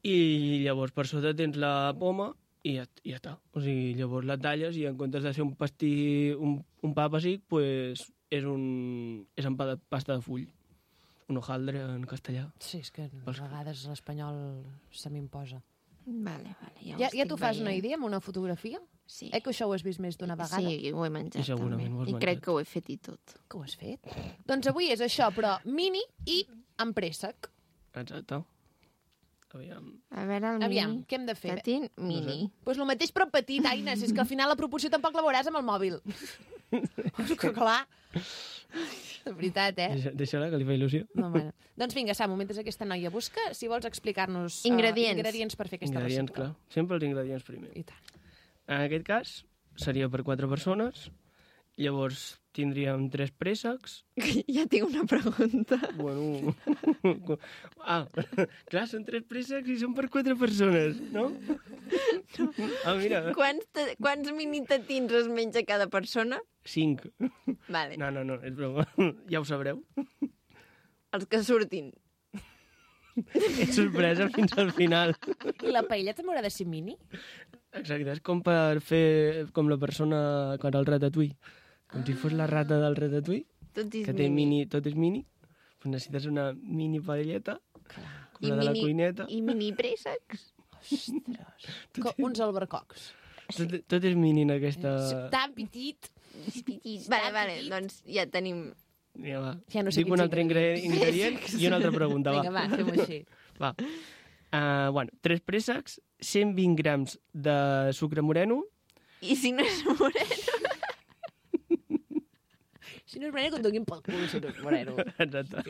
i llavors per sota tens la poma i ja està. O sigui, llavors la talles i en comptes de ser un pastí, un pa pessic, pues és en pasta de full. Un hojaldre en castellà. Sí, és que a vegades l'espanyol se m'imposa. Vale, ja ho Ja estic t'ho fas una veient. idea amb una fotografia? Sí. Que això ho has vist més d'una vegada? Sí, ho he menjat I segurament també. ho has I menjat. crec que ho he fet i tot. Que ho has fet? Doncs avui és això, però mini i amb préssec. Exacte. Aviam. A veure, el Aviam, mini. què hem de fer? Tatín, mini. Doncs el mateix però petit, Aines, és que al final la proporció tampoc la veuràs amb el mòbil. Que clar. De veritat, Deixa-la, que li fa il·lusió. No, bueno. Doncs vinga, Samu, mentre aquesta noia busca, si vols explicar-nos Ingredients. per fer aquesta Ingredients, recepta. clar. Sempre els ingredients primer. I tant. En aquest cas, seria per 4 persones. Llavors, tindríem 3 préssecs. Ja tinc una pregunta. Bueno... clar, són 3 préssecs i són per 4 persones, no? Mira. Quants mini tatins es menja cada persona? 5. Vale. No, és broma. Ja ho sabreu. Els que surtin. És sorpresa fins al final. I la paella també haurà de ser mini? Exacte, és com per fer com la persona quan el ratatouille. Com si fos la rata del ratatouille, Tot és que té mini, tot és mini. Pues necessites una mini paelleta, com la de la cuineta. I mini préssecs. Ostres. Uns albercocs. Tot és mini en aquesta... Tan petit. Vale, doncs ja tenim... Ja, va. Ja no sé Dic un quins altre ingredient i una altra pregunta, Vinga, va, fem-ho així. Va. 3 préssecs, 120 grams de sucre moreno. I si no és moreno? Si no és moreno, que et donin pel cul, si no és moreno. Exacte.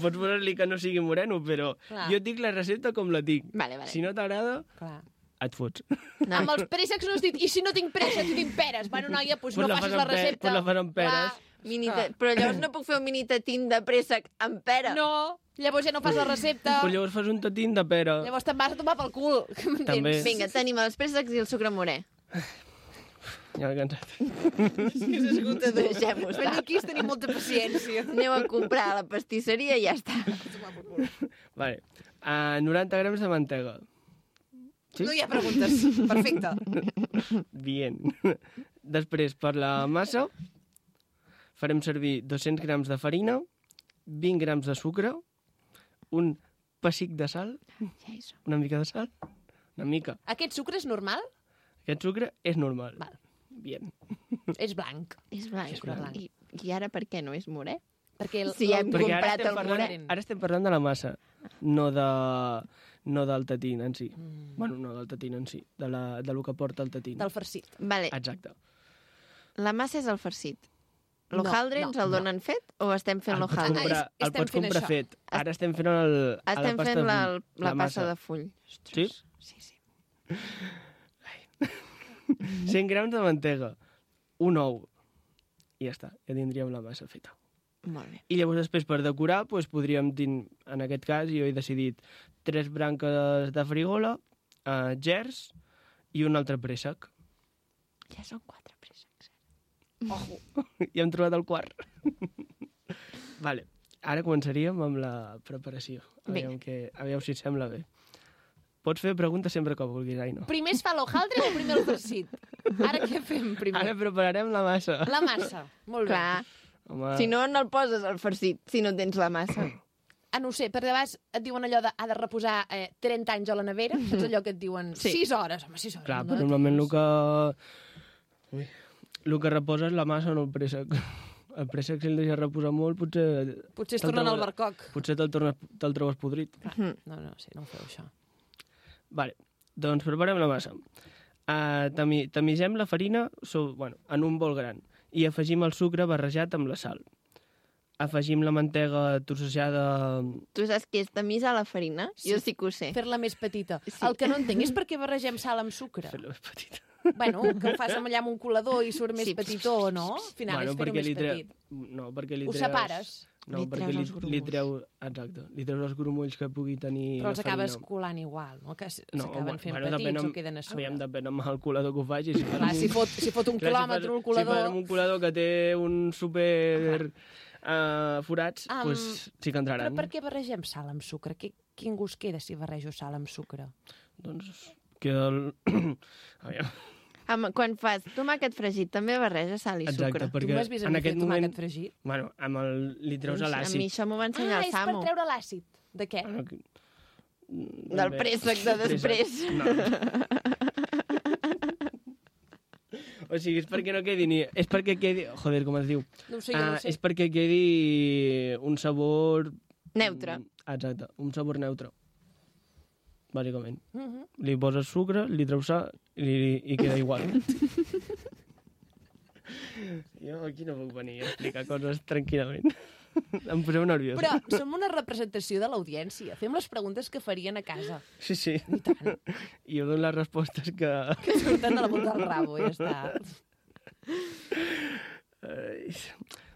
Pots posar-li que no sigui moreno, però Clar. jo et dic la recepta com la tinc. Vale. Si no t'agrada, Clar. et fots. No. Amb els préssecs no has dit, i si no tinc préssecs, tinc peres. Bueno, noia, doncs no facis la recepta. Pues la fas amb peres. Però llavors no puc fer un mini tatín de préssec amb pera. No, llavors ja no fas la recepta. Però llavors fas un tatín de pera. Llavors te'n vas a tomar pel cul. També. Vinga, tenim els préssecs i el sucre morè. Ja m'he cansat. És esgotador. Deixem-ho estar. Venir aquí és tenir molta paciència. Aneu a comprar a la pastisseria i ja està. Vale. 90 grams de mantega. Sí? No hi ha preguntes. Perfecte. Bien. Després, per la massa, farem servir 200 grams de farina, 20 grams de sucre, un pessic de sal, Ja hi som. una mica de sal, una mica. Aquest sucre és normal? Aquest sucre és normal. Val. Bien. És blanc. És blanc. Sucre blanc. I ara per què no és morè? Perquè Sí, hem Perquè comprat el morè. ara estem parlant de la massa, no del tatín en si. Bueno, no del tatín en si, de lo que porta el tatín. del farcit. Vale, Exacte. la massa és el farcit. No, L'hojaldre no, ens el donen fet o estem fent l'hojaldre? Estem El pots fent comprar això. fet. Ara estem fent la Estem pasta fent de la full, passa massa. de full. Sí? Sí. 100 grams de mantega, un ou, i ja està, ja tindríem la massa feta. Molt bé. I llavors després per decorar doncs, podríem, en aquest cas jo he decidit 3 branques de frigola, gers i un altre préssec. Ja són 4 préssecs. Ja hem trobat el quart. Vale. Ara començaríem amb la preparació. Aviam si et sembla bé. Pots fer preguntes sempre que vulguis, Aina. Primer es fa l'hojaldre o primer el farcit? Ara què fem primer? Ara prepararem la massa. La massa. Molt bé. Clar, Home, si no, no el poses al farcit, si no tens la massa. Ah, no ho sé, perquè de vegades et diuen allò de ha de reposar 30 anys a la nevera, saps allò que et diuen Sí. 6 hores, home, 6 hores. clar, no? però normalment el que reposa és la massa, no el préssec. El préssec, si el deixes reposar molt, Potser es tornen al barcoc. Potser te'l trobes podrit. No, sí, no ho feu, això. Vale, doncs preparem la massa. Tamisem la farina en un bol gran i afegim el sucre barrejat amb la sal. Afegim la mantega trossejada... Tu saps què és tamisar la farina? Sí. Jo sí que ho sé. Fer-la més petita. Sí. El que no entenc és per què barregem sal amb sucre. Fer-la més petita. Bueno, que ho fas allà amb un colador i surt més Sí. petitó, no? Al final és fer-ho més petit. No, perquè li Ho treus... separes. No, Li perquè treus els li grumolls. treus... Exacte. Li treus els grumolls que pugui tenir Però els la farina. acabes colant igual, no? Que s'acaben fent petits depèn o queden a sobre. Aviam, depèn amb el colador que ho facis. Clar, si fot un quilòmetre un Si colador... fas un colador que té un super forats, doncs sí que entraran. Però per què barregem sal amb sucre? Quin gust queda si barrejo sal amb sucre? Doncs queda Aviam. Quan fas tomàquet fregit, també barreja sal i Exacte, sucre. perquè Tu m'has vist a mi fer tomàquet fregit? Bueno, li treus A l'àcid. mi això m'ho va ensenyar el és per Samu. treure l'àcid. De què? Bueno, Del préssec de després. No. O sigui, és perquè no quedi ni... És perquè quedi... Joder, com es diu? No ho sé, jo no ho sé. És perquè quedi un sabor... Neutre. Exacte, un sabor neutre. Bàsicament. Mhm. Li poses sucre, li treus sal i queda igual. Jo aquí no puc venir a explicar coses tranquil·lament. Em poseu nerviós. Però som una representació de l'audiència. Fem les preguntes que farien a casa. Sí, sí. I tant. I jo dono les respostes que... Que surten de la punta del rabo, ja està.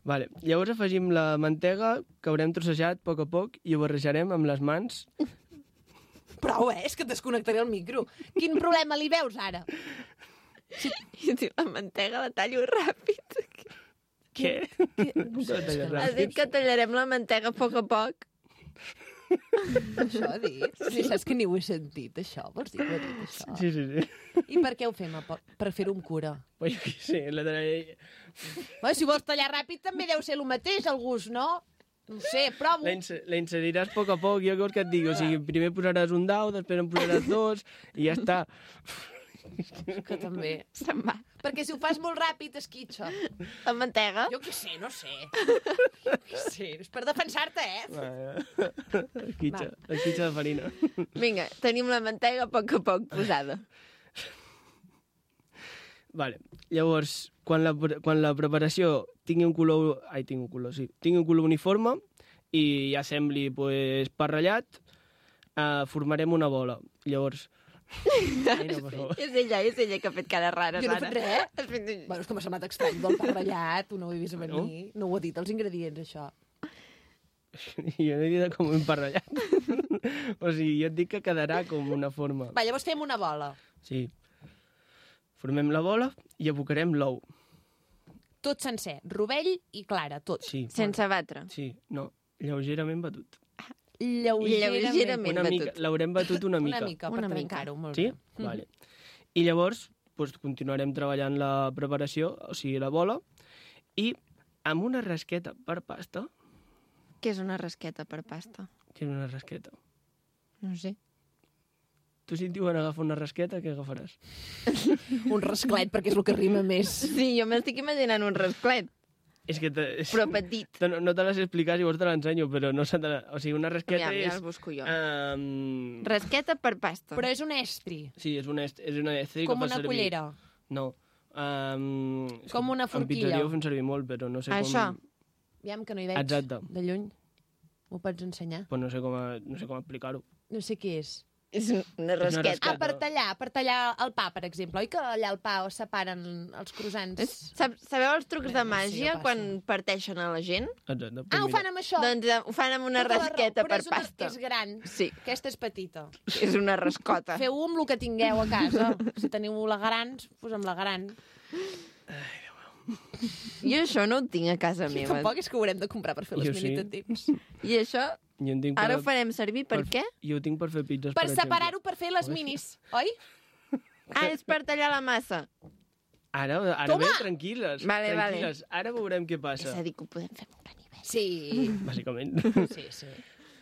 Vale. Llavors afegim la mantega que haurem trossejat a poc i ho barrejarem amb les mans. Prou, és que et desconnectaré el micro. Quin problema li veus, ara? I diu, la mantega la tallo ràpid. Què? No sé, és que no. Has dit que tallarem la mantega a poc. Això ha dit? Sí, saps que ni ho he sentit, això? Vols dir que ho he dit, això? Sí. I per què ho fem? Per fer-ho amb cura? Pues jo què sé, Bé, si vols tallar ràpid també deu ser el mateix, el gust, no? No ho sé, provo. la inseriràs a poc, jo què vols que et digui? O sigui, primer posaràs un dau, després en posaràs dos, i ja està. Que també. Se'n va. Perquè si ho fas molt ràpid, esquitxa. La mantega? Jo què sé, no sé. Jo què sé, és per defensar-te, Esquitxa de farina. Vinga, tenim la mantega a poc posada. Vale. Llavors, quan la preparació tingui un color uniforme i ja sembli pa ratllat, formarem una bola. Llavors... Ai, no, per favor. És ella que ha fet cara rara. Jo no he fet res. Has fet... Bueno, és que m'ha semblat estrany del pa ratllat, no ho he vist a venir. No ho ha dit, els ingredients, això. Jo no he dit com un pa ratllat. O sigui, jo et dic que quedarà com una forma. Va, llavors fem una bola. Sí. Formem la bola i abocarem l'ou. Tot sencer, rovell i clara, tot. Sí. Sense batre. Sí, no, lleugerament batut. Lleugerament Una mica, batut. l'haurem batut una mica. Una mica, per Una mica. trencar-ho, molt Sí? bé. Vale. I llavors doncs, continuarem treballant la preparació, o sigui, la bola, i amb una rasqueta per pasta... Què és una rasqueta per pasta? Què és una rasqueta? No sé. Tu si et diuen agafar una rasqueta, què agafaràs? Un rasclet, perquè és el que rima més. Sí, jo m'estic imaginant un rasclet, És que... però petit. No te les he explicat, llavors te l'ensenyo, però no se te... O sigui, una rasqueta Ja és... el busco jo. Rasqueta Rasqueta per pasta. Però és un estri, Sí, és una estri com que fa una servir... cullera. No. És Com que una En forquilla. pizzeria ho fem servir molt, però no sé Això. com... Aviam, que no hi veig. Exacte. De lluny. M'ho pots ensenyar? Però no sé com explicar-ho. No sé què és. És una rasqueta. Ah, per tallar el pa, per exemple. Oi que allà al pa es separen els croissants? Sabeu els trucs de No sé, màgia jo passo. quan parteixen a la gent? Exacte. Ah, ho fan amb això? Doncs ho fan amb una Tota la raó, rasqueta però per és pasta. És gran. Sí, Aquesta és petita. és una rascota. Feu-ho amb el que tingueu a casa. Si teniu la gran, pues amb la gran. Jo això no ho tinc a casa meva. Tampoc és que ho haurem de comprar per fer les Jo sí. minitatins. I això Jo en tinc ara ho per... farem servir per què? Jo ho tinc per fer pizzas, Per exemple. separar-ho, per fer les minis, oi? Ah, és per tallar la massa. Ara Toma! bé, tranquil·les. Vale, tranquil·les. Ara veurem què És passa, a dir, que ho podem fer molt a nivell. Sí. bàsicament. Sí.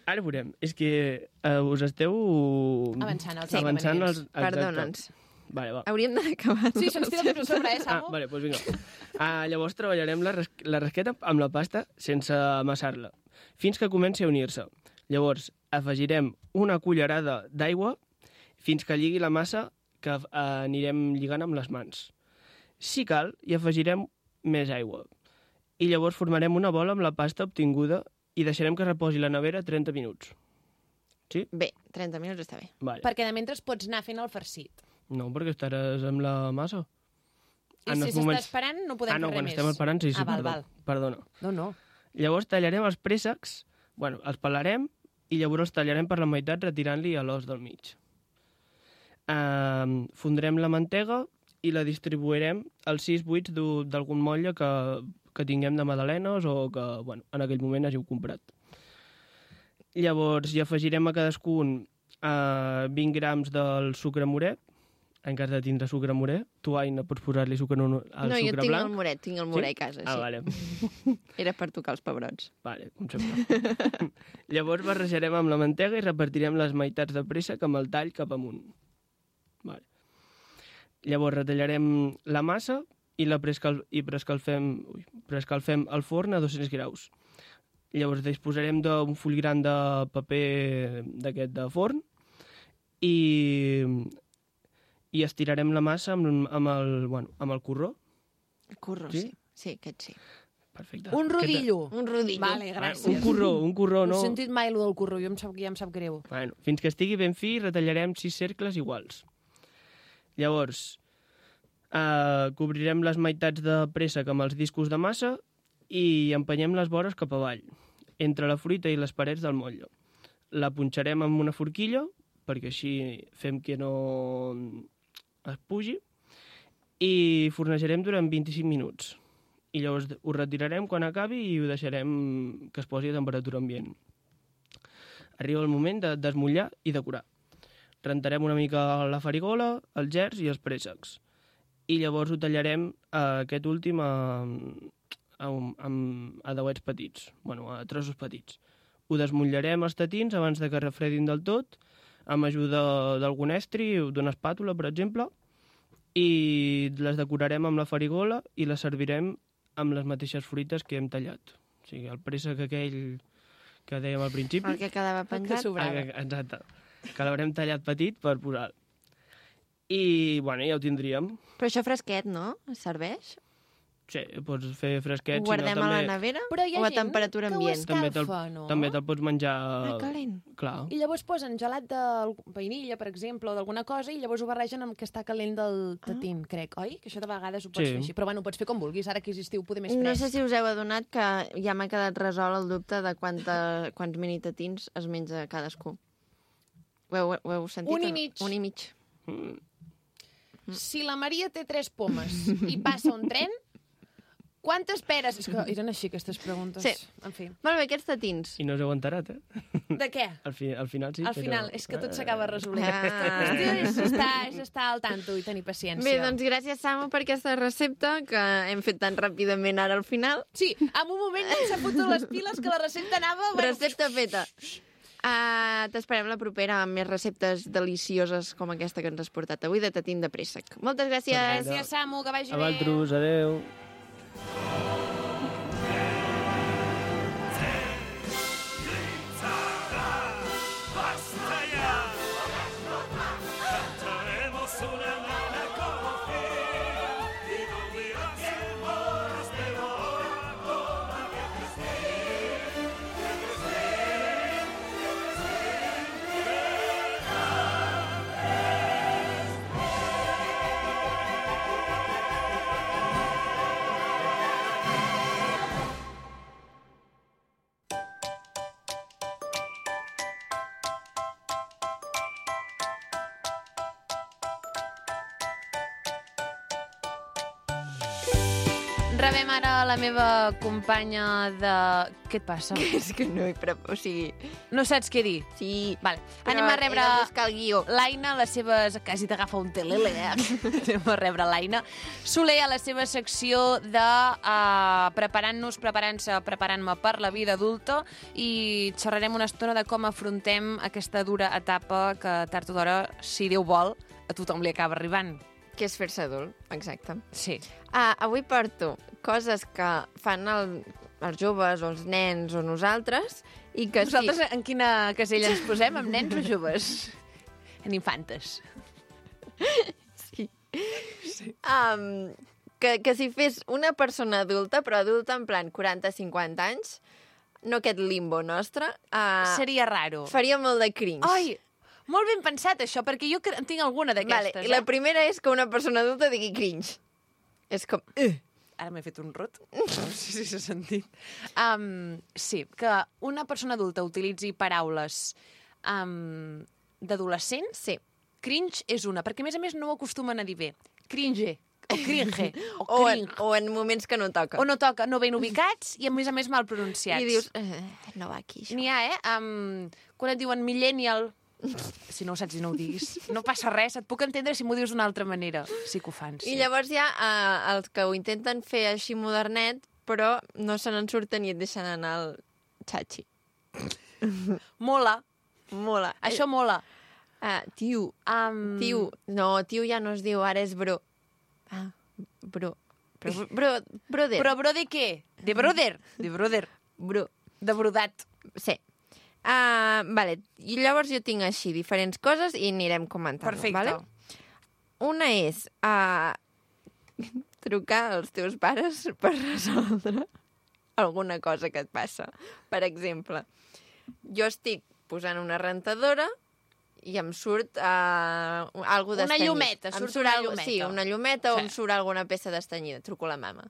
Ara veurem. És que us esteu... Avançant els Avançant inconvenients. exacte. Perdona'ns. Vale, va. Hauríem d'acabar. Sí, se'ns tira tot a sobre, Samu? Vale, doncs vinga. Llavors treballarem la rasqueta amb la pasta sense amassar-la, fins que comenci a unir-se. Llavors afegirem una cullerada d'aigua fins que lligui la massa que anirem lligant amb les mans. Si cal, hi afegirem més aigua. I llavors formarem una bola amb la pasta obtinguda i deixarem que reposi a la nevera 30 minuts. Sí? Bé, 30 minuts està bé. Vale. Perquè de mentre pots anar fent el farcit. No, perquè estaràs amb la massa. I si s'està esperant, no podem fer no, res quan més. estem esperant, sí, val, perdó. val. Perdona. No. Llavors tallarem els préssecs, els pelarem i llavors els tallarem per la meitat retirant-li l'os del mig. Fondrem la mantega i la distribuirem als 6 buits d'algun motlle que que tinguem de magdalenes o que, bueno, en aquell moment hàgiu comprat. Llavors, hi afegirem a cadascun 20 grams del sucre moret, en cas de tindre sucre moret. Tu, Aina, pots posar-li sucre al No, sucre jo tinc blanc? el moret, tinc el moret a casa, sí. Vale. Era per tocar els pebrots. Vale, com sempre. Llavors barrejarem amb la mantega i repartirem les meitats de préssec amb el tall cap amunt. Vale. Llavors retallarem la massa i preescalfem al forn a 200 graus. Llavors disposarem d'un full gran de paper d'aquest de forn i estirarem la massa amb el corró. El curro, Sí? sí, aquest sí. Perfecte. Un rodillo. Un rodillo. Vale, gràcies. Un corró, No no? he sentit mai allò del corró, ja em sap greu. Bueno, fins que estigui ben fi, retallarem 6 cercles iguals. Llavors, cobrirem les meitats de préssec amb els discos de massa i empenyem les vores cap avall, entre la fruita i les parets del motlle. La punxarem amb una forquilla, perquè així fem que no es pugi, i fornejarem durant 25 minuts. I llavors ho retirarem quan acabi i ho deixarem que es posi a temperatura ambient. Arriba el moment de desmullar i decorar. Rentarem una mica la farigola, els gerds i els préssecs. I llavors ho tallarem aquest últim amb dauets petits, a trossos petits. Ho desmutllarem els tatins abans de que refredin del tot, amb ajuda d'algun estri o d'una espàtula, per exemple, i les decorarem amb la farigola i les servirem amb les mateixes fruites que hem tallat. O sigui, el préssec aquell que dèiem al principi. El que quedava penjat. Exacte. Que l'haurem tallat petit per posar. I, ja ho tindríem. Però això fresquet, no? Es serveix? Sí, pots fer fresquet. Ho guardem a la nevera Però hi ha o a gent temperatura que ho ambient? escalfa, no? També te'l pots menjar... calent. Clar. I llavors posen gelat de vainilla, per exemple, o d'alguna cosa, i llavors ho barregen amb que està calent del tatín, crec, oi? Que això de vegades ho pots fer així. Però ho pots fer com vulguis, ara que és estiu, poder més fresc. No sé si us heu adonat que ja m'ha quedat resolt el dubte de quants minitatins es menja cadascú. Ho heu sentit? Un i mig. Un i mig. Si la Maria té 3 pomes i passa un tren, quantes peres... És que eren així, aquestes preguntes. Sí. En fi. Molt bé, aquests tatins. I no us heu enterat, De què? Al final sí, Al final, és que tot s'acaba resolent. Ah. Aquesta qüestió és estar al tanto i tenir paciència. Bé, doncs gràcies, Samu, per aquesta recepta que hem fet tan ràpidament ara al final. Sí, en un moment ja s'ha fotut les piles que la recepta anava... Recepta feta. T'esperem la propera amb més receptes delicioses com aquesta que ens has portat avui de tatín de préssec. Moltes gràcies. Gràcies, Samu, que vagi A bé. vosaltres, adeu. Basta ya, cantaremos una nana como fin y no dirás que moras, pero ahora todavía Rebem ara la meva companya de... Què et passa? És que no hi o sigui... No saps què dir? Sí, Vale. però Anem a rebre he de buscar el guió. l'Aina, les seves... Quasi t'agafa un telele, Anem a rebre l'Aina. Soler, a la seva secció de preparant-me per la vida adulta, i xerrarem una estona de com afrontem aquesta dura etapa que tard o d'hora, si Déu vol, a tothom li acaba arribant. Que és fer-se adult, exacte. Sí. Avui porto coses que fan els joves o els nens o nosaltres i que Nosaltres en quina casella ens posem? Amb nens o joves? En infantes. Sí. Que si fes una persona adulta, però adulta en plan 40-50 anys, no aquest limbo nostre, Seria raro. faria molt de cringe. Ai, molt ben pensat, això, perquè jo en tinc alguna d'aquestes. Vale, i la primera és que una persona adulta digui cringe. És com... Ara m'he fet un rot. No sé si s'ha sentit. Sí, que una persona adulta utilitzi paraules d'adolescents, Sí. cringe és una, perquè a més no ho acostumen a dir bé. Cringe. o cringe, O en moments que no toca. o no toca, no ben ubicats i a més mal pronunciats. I dius, no va aquí, això. N'hi ha, quan et diuen millennial, si no ho saps i no ho diguis, no passa res, et puc entendre si m'ho dius d'una altra manera. Sí que ho fan, sí. I llavors hi ha els que ho intenten fer així modernet, però no se n'en surten i et deixen anar al xatxi. Mola, Mola. això mola. Tiu. Tiu. No, tiu ja no es diu, ara és bro. Bro. Brother. Però bro de què? De brother. De brother. Bro. De brodat. Sí. Vale. I llavors jo tinc així diferents coses i anirem comentant. Perfecte. Vale? Una és trucar als teus pares per resoldre alguna cosa que et passa. Per exemple, jo estic posant una rentadora i em surt algo d'estanyit. Una llumeta, surt una llumeta. Sí, una llumeta o Sí. em surt alguna peça d'estanyida. Truco a la mama.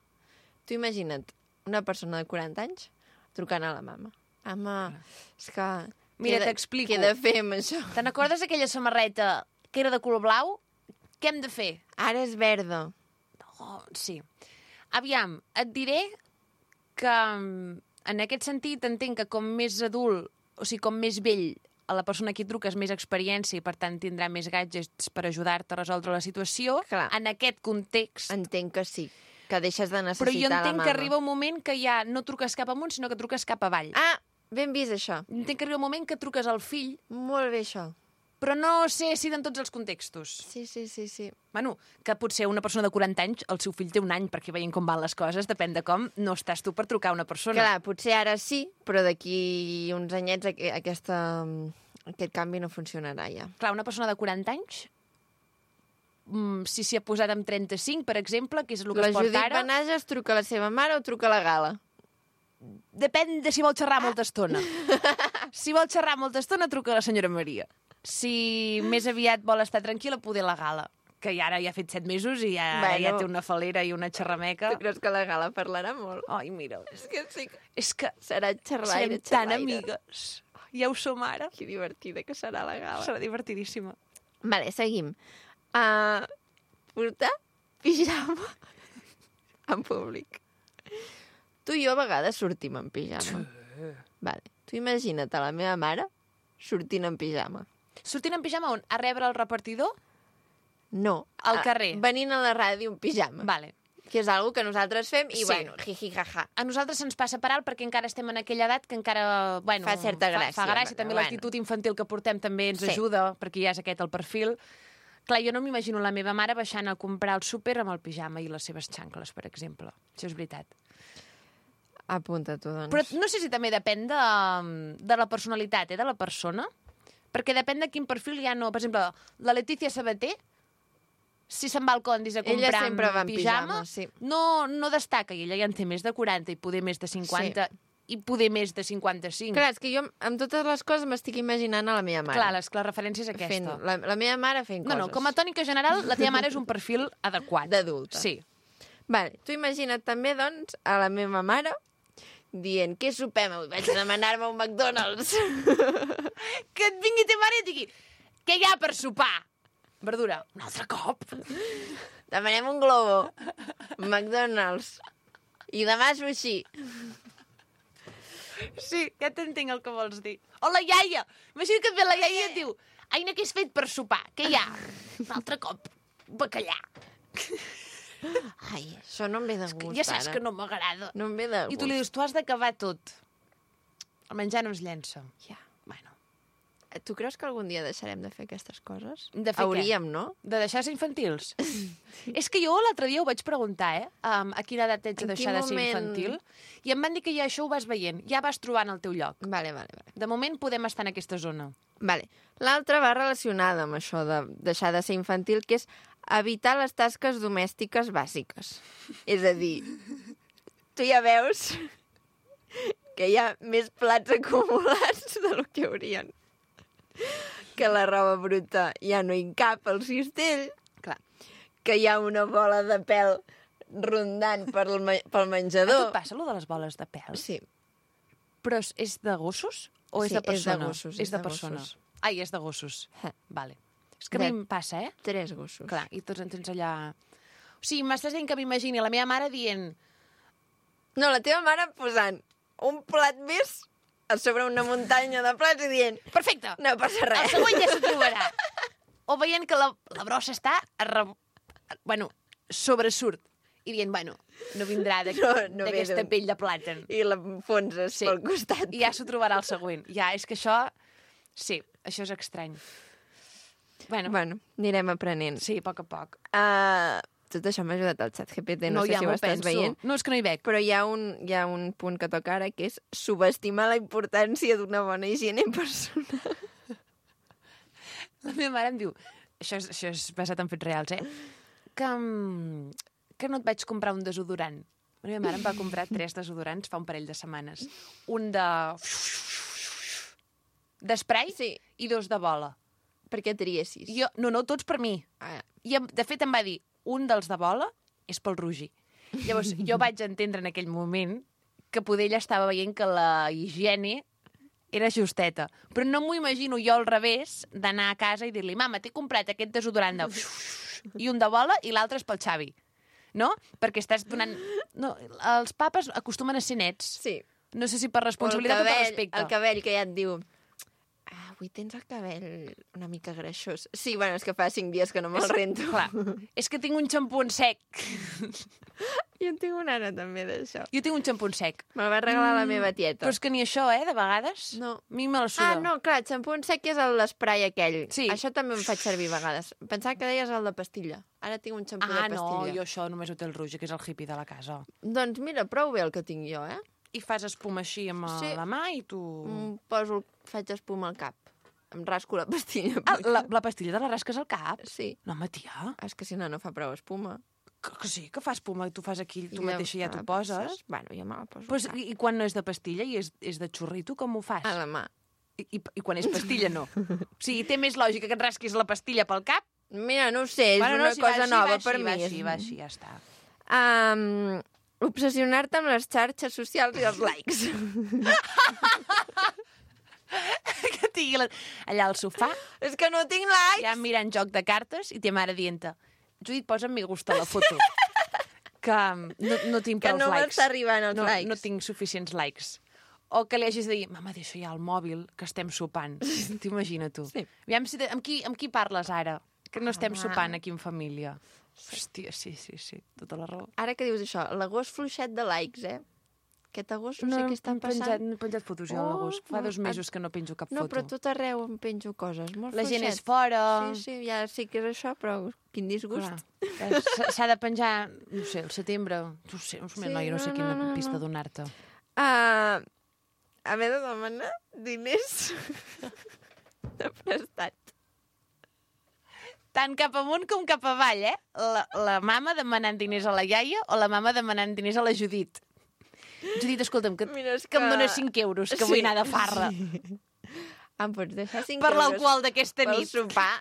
Tu imagina't una persona de 40 anys trucant a la mama. Mama, és que... Mira, què t'explico. Què he de fer amb això? Te n'acordes d'aquella samarreta que era de color blau? Què hem de fer? Ara és verda. Oh, sí. Aviam, et diré que en aquest sentit entenc que com més adult, o sigui, com més vell, a la persona a qui truques més experiència i, per tant, tindrà més gadgets per ajudar-te a resoldre la situació. Clar. En aquest context... Entenc que sí, que deixes de Però necessitar jo la entenc mama. que arriba un moment que ja no truques cap amunt, sinó que truques cap avall. Ben vist, això. Entenc que arriba un moment que truques al fill, Molt bé, això. però no sé si en tots els contextos. Sí. Bueno, que potser una persona de 40 anys, el seu fill té un any, perquè veient com van les coses, depèn de com, no estàs tu per trucar a una persona. Clar, potser ara sí, però d'aquí uns anyets aquest canvi no funcionarà ja. Clar, una persona de 40 anys, si s'hi ha posat amb 35, per exemple, que és el que La es porta Judit ara, Benages truca a la seva mare o truca a la Gala? depèn de si vol xerrar molta estona. Si vol xerrar molta estona, truca a la senyora Maria. Si més aviat vol estar tranquil·la, poder la Gala, que ara ja ha fet 7 mesos i ja té una falera i una xerrameca. Tu creus que la Gala parlarà molt? Ai, mira, És que sí que és que serà xerraire, serem tan amigues. Ja ho som ara. Que divertida que serà la Gala. Serà divertidíssima. Vale, seguim. Portar pijama en públic. Tu i jo a vegades sortim en pijama. Vale. Tu imagina't a la meva mare sortint en pijama. Sortint en pijama on? A rebre el repartidor? No. Al carrer. Venint a la ràdio en pijama. Vale. Que és algo que nosaltres fem i, Sí. bueno, jiji, jaja. A nosaltres se'ns passa per alt perquè encara estem en aquella edat que encara... Bueno, Fa certa gràcia, Fa gràcia. bueno, També bueno. l'actitud infantil que portem també ens Sí. ajuda, perquè ja és aquest el perfil. Clar, jo no m'imagino la meva mare baixant a comprar al súper amb el pijama i les seves xancles, per exemple. Això és veritat. Apunta-t'ho, doncs. Però no sé si també depèn de la personalitat, de la persona, perquè depèn de quin perfil ja no... Per exemple, la Letícia Sabater, si se'n va al Condis a Ella comprar sempre va en pijama, pijama, sí. no destaca, i ella ja en té més de 40 i poder més de 50 i poder més de 55. Clar, és que jo amb totes les coses m'estic imaginant a la meva mare. Clar, la referència és aquesta. Fent, la meva mare fent coses. No, com a tònica general, la teva mare és un perfil adequat. D'adulta. Sí. Vale, tu imagina't també, doncs, a la meva mare dient, què sopem avui? Vaig a demanar-me un McDonald's. Que et vingui teva mare i et digui, què hi ha per sopar? Verdura. Un altre cop? Demanem un globo. McDonald's. I demà sushi. Sí, ja t'entenc el que vols dir. O la iaia. Imagina que et ve la iaia i et diu, Aina, què has fet per sopar? Què hi ha? Un altre cop. Bacallà. Ai, això no em ve de gust, Ja saps ara. que no m'agrada. No em ve de gust. I tu li dius, tu has d'acabar tot. El menjar no es llença. Ja. Bueno, Tu creus que algun dia deixarem de fer aquestes coses? De fer què? Hauríem, no? de deixar de ser infantils. És que jo l'altre dia ho vaig preguntar, a quina edat ets de En deixar quin de ser moment? infantil, i em van dir que ja això ho vas veient, ja vas trobant el teu lloc. Vale. De moment podem estar en aquesta zona. Vale. L'altra va relacionada amb això de deixar de ser infantil, que és evitar les tasques domèstiques bàsiques. És a dir, tu ja veus que hi ha més plats acumulats del que haurien. Que la roba bruta ja no hi cap al cistell. Clar. Que hi ha una bola de pèl rondant pel A tu menjador. et passa, allò de les boles de pèl? Sí. Però és de gossos o és Sí, de és de persona? gossos, És de persona. gossos. Ai, és de gossos. Eh. Vale. És que a mi De- em passa, 3 gossos. Clar, i tots en tens allà... O sigui, m'estàs dient que m'imagini la meva mare dient... No, la teva mare posant un plat més a sobre una muntanya de plats i dient... Perfecte! No passa El res. següent ja s'ho trobarà. O veient que la brossa està... Bueno, sobresurt. I dient, bueno, no vindrà No ve d'aquesta d'un- pell de plàtan. I la fonses pel costat. I ja s'ho trobarà el següent. Ja, és que això... Sí, això és estrany. Bueno, Bueno, anirem aprenent. sí, a poc a poc. Tot això m'ha ajudat al xat GPT, no sé ja si ho m'ho estàs penso. veient. No, és que no hi veig. Però hi ha un punt que toca ara, que és subestimar la importància d'una bona higiene personal. La meva mare em diu... Això és basat en fets reals, que no et vaig comprar un desodorant. La meva mare em va comprar 3 desodorants fa un parell de setmanes. Un d'esprai Sí, i 2 de bola. perquè triessis. No, tots per mi. Ah, I, de fet, em va dir, un dels de bola és pel Rogi. Llavors, jo vaig entendre en aquell moment que poder ella estava veient que la higiene era justeta. Però no m'ho imagino jo al revés d'anar a casa i dir-li, mama, t'he comprat aquest desodorant de... i un de bola i l'altre és pel Xavi. No? Perquè estàs donant... No, els papes acostumen a ser nets. sí. No sé si per responsabilitat o per respecte. El cabell que ja et diu... Avui tens el cabell una mica greixós. Sí, bueno, és que fa 5 dies que no me'l rento. Clar, és que tinc un xampú en sec. Jo en tinc una ara també d'això. Jo tinc un xampú en sec. Me'l va regalar la meva tieta. Però és que ni això, de vegades. No. A mi me la suda. No, clar, xampú en sec és l'esprai aquell. Sí. Això també em faig servir a vegades. Pensava que deies el de pastilla. Ara tinc un xampú de no, pastilla. jo això només ho té el Roger, que és el hippie de la casa. Doncs mira, prou bé el que tinc jo, eh? I fas espuma així amb Sí. la mà i tu... Faig espuma al cap. Em rasco la pastilla. La pastilla de la rasques al cap? Sí. No, home, tia, És que si no, no fa prou espuma. que sí, que fa espuma, tu fas aquí, tu I mateixa ja me t'ho la poses. Bueno, jo me la poso Pues, al cap. I quan no és de pastilla i és de xurrito, com ho fas? A la mà. I quan és pastilla, no. O sigui, té més lògica que et rasquis la pastilla pel cap. Mira, no ho sé, és Bueno, una si cosa va així, nova va per així, mi. Va així, ja està. Obsessionar-te amb les xarxes socials i els likes. Que tingui allà al sofà, És que no tinc likes. ja mirant joc de cartes i ta mare dient-te, Judit, posa'm me gusta a la foto. Que no tinc Que prou no likes. m'està arribant els likes. No tinc suficients likes. O que li hagis de dir, mama, deixa ja el mòbil, que estem sopant. T'imagina tu. Sí. Aviam si amb qui parles ara? Que no estem Home. sopant aquí en família. Hòstia, sí, tota la raó. Ara que dius això, l'agost fluixet de likes, eh? Aquest agost no sé què està passant. No he penjat fotos jo a l'agost. Fa 2 mesos que no penjo cap No, foto. però a tot arreu em penjo coses. Molt La gent fluixet. és fora. Sí, ja sé que és això, però quin disgust. Clar. S'ha de penjar, no sé, al setembre. No sé, Sí, noia, no sé quina no. pista donar-te. Haver de demanar diners de prestat. Tant cap amunt com cap avall, eh? La mama demanant diners a la iaia o la mama demanant diners a la Judit. Judit, escolta'm, que Mira, és em que- dones 5 euros, que vull anar de farra. Em pots deixar 5 Per euros l'alcohol d'aquesta pel nit. sopar,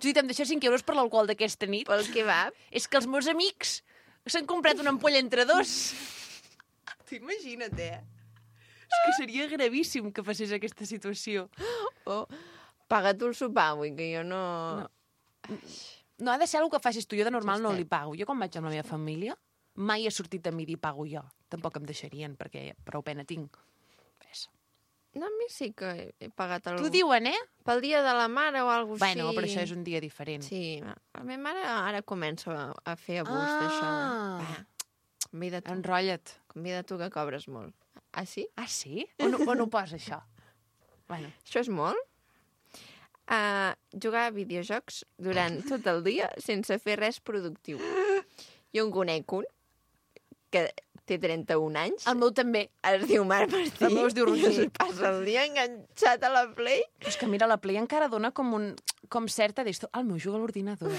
Judit, em deixes 5 euros per l'alcohol d'aquesta nit? pel kebab? És que els meus amics s'han comprat una ampolla entre 2. T'imagina't, eh? És que seria gravíssim que passés aquesta situació. Paga tu el sopar avui, que jo no... No ha de ser alguna que facis tu. Jo de normal no Justet. li pago. Jo quan vaig amb la meva família mai he sortit a mi dir pago jo. Tampoc em deixarien, perquè prou pena tinc. Res. No, a mi sí que he pagat el... T'ho diuen, eh? Pel dia de la mare o alguna cosa Bueno, així. però això és un dia diferent. Sí, la meva mare ara comença a fer abús d'això. Va, convida tu, Enrotlla't. convida tu que cobres molt. Ah, sí? Ah, sí? On ho posa, això? Bueno, Això és molt? Jugar a videojocs durant tot el dia sense fer res productiu. Jo en conec un que té 31 anys. el meu també. Es diu Marc Martí. El meu es diu Roger. I es passa el dia enganxat a la Play. Però és que mira, la Play encara dona com certa d'esto. El meu juga a l'ordinador,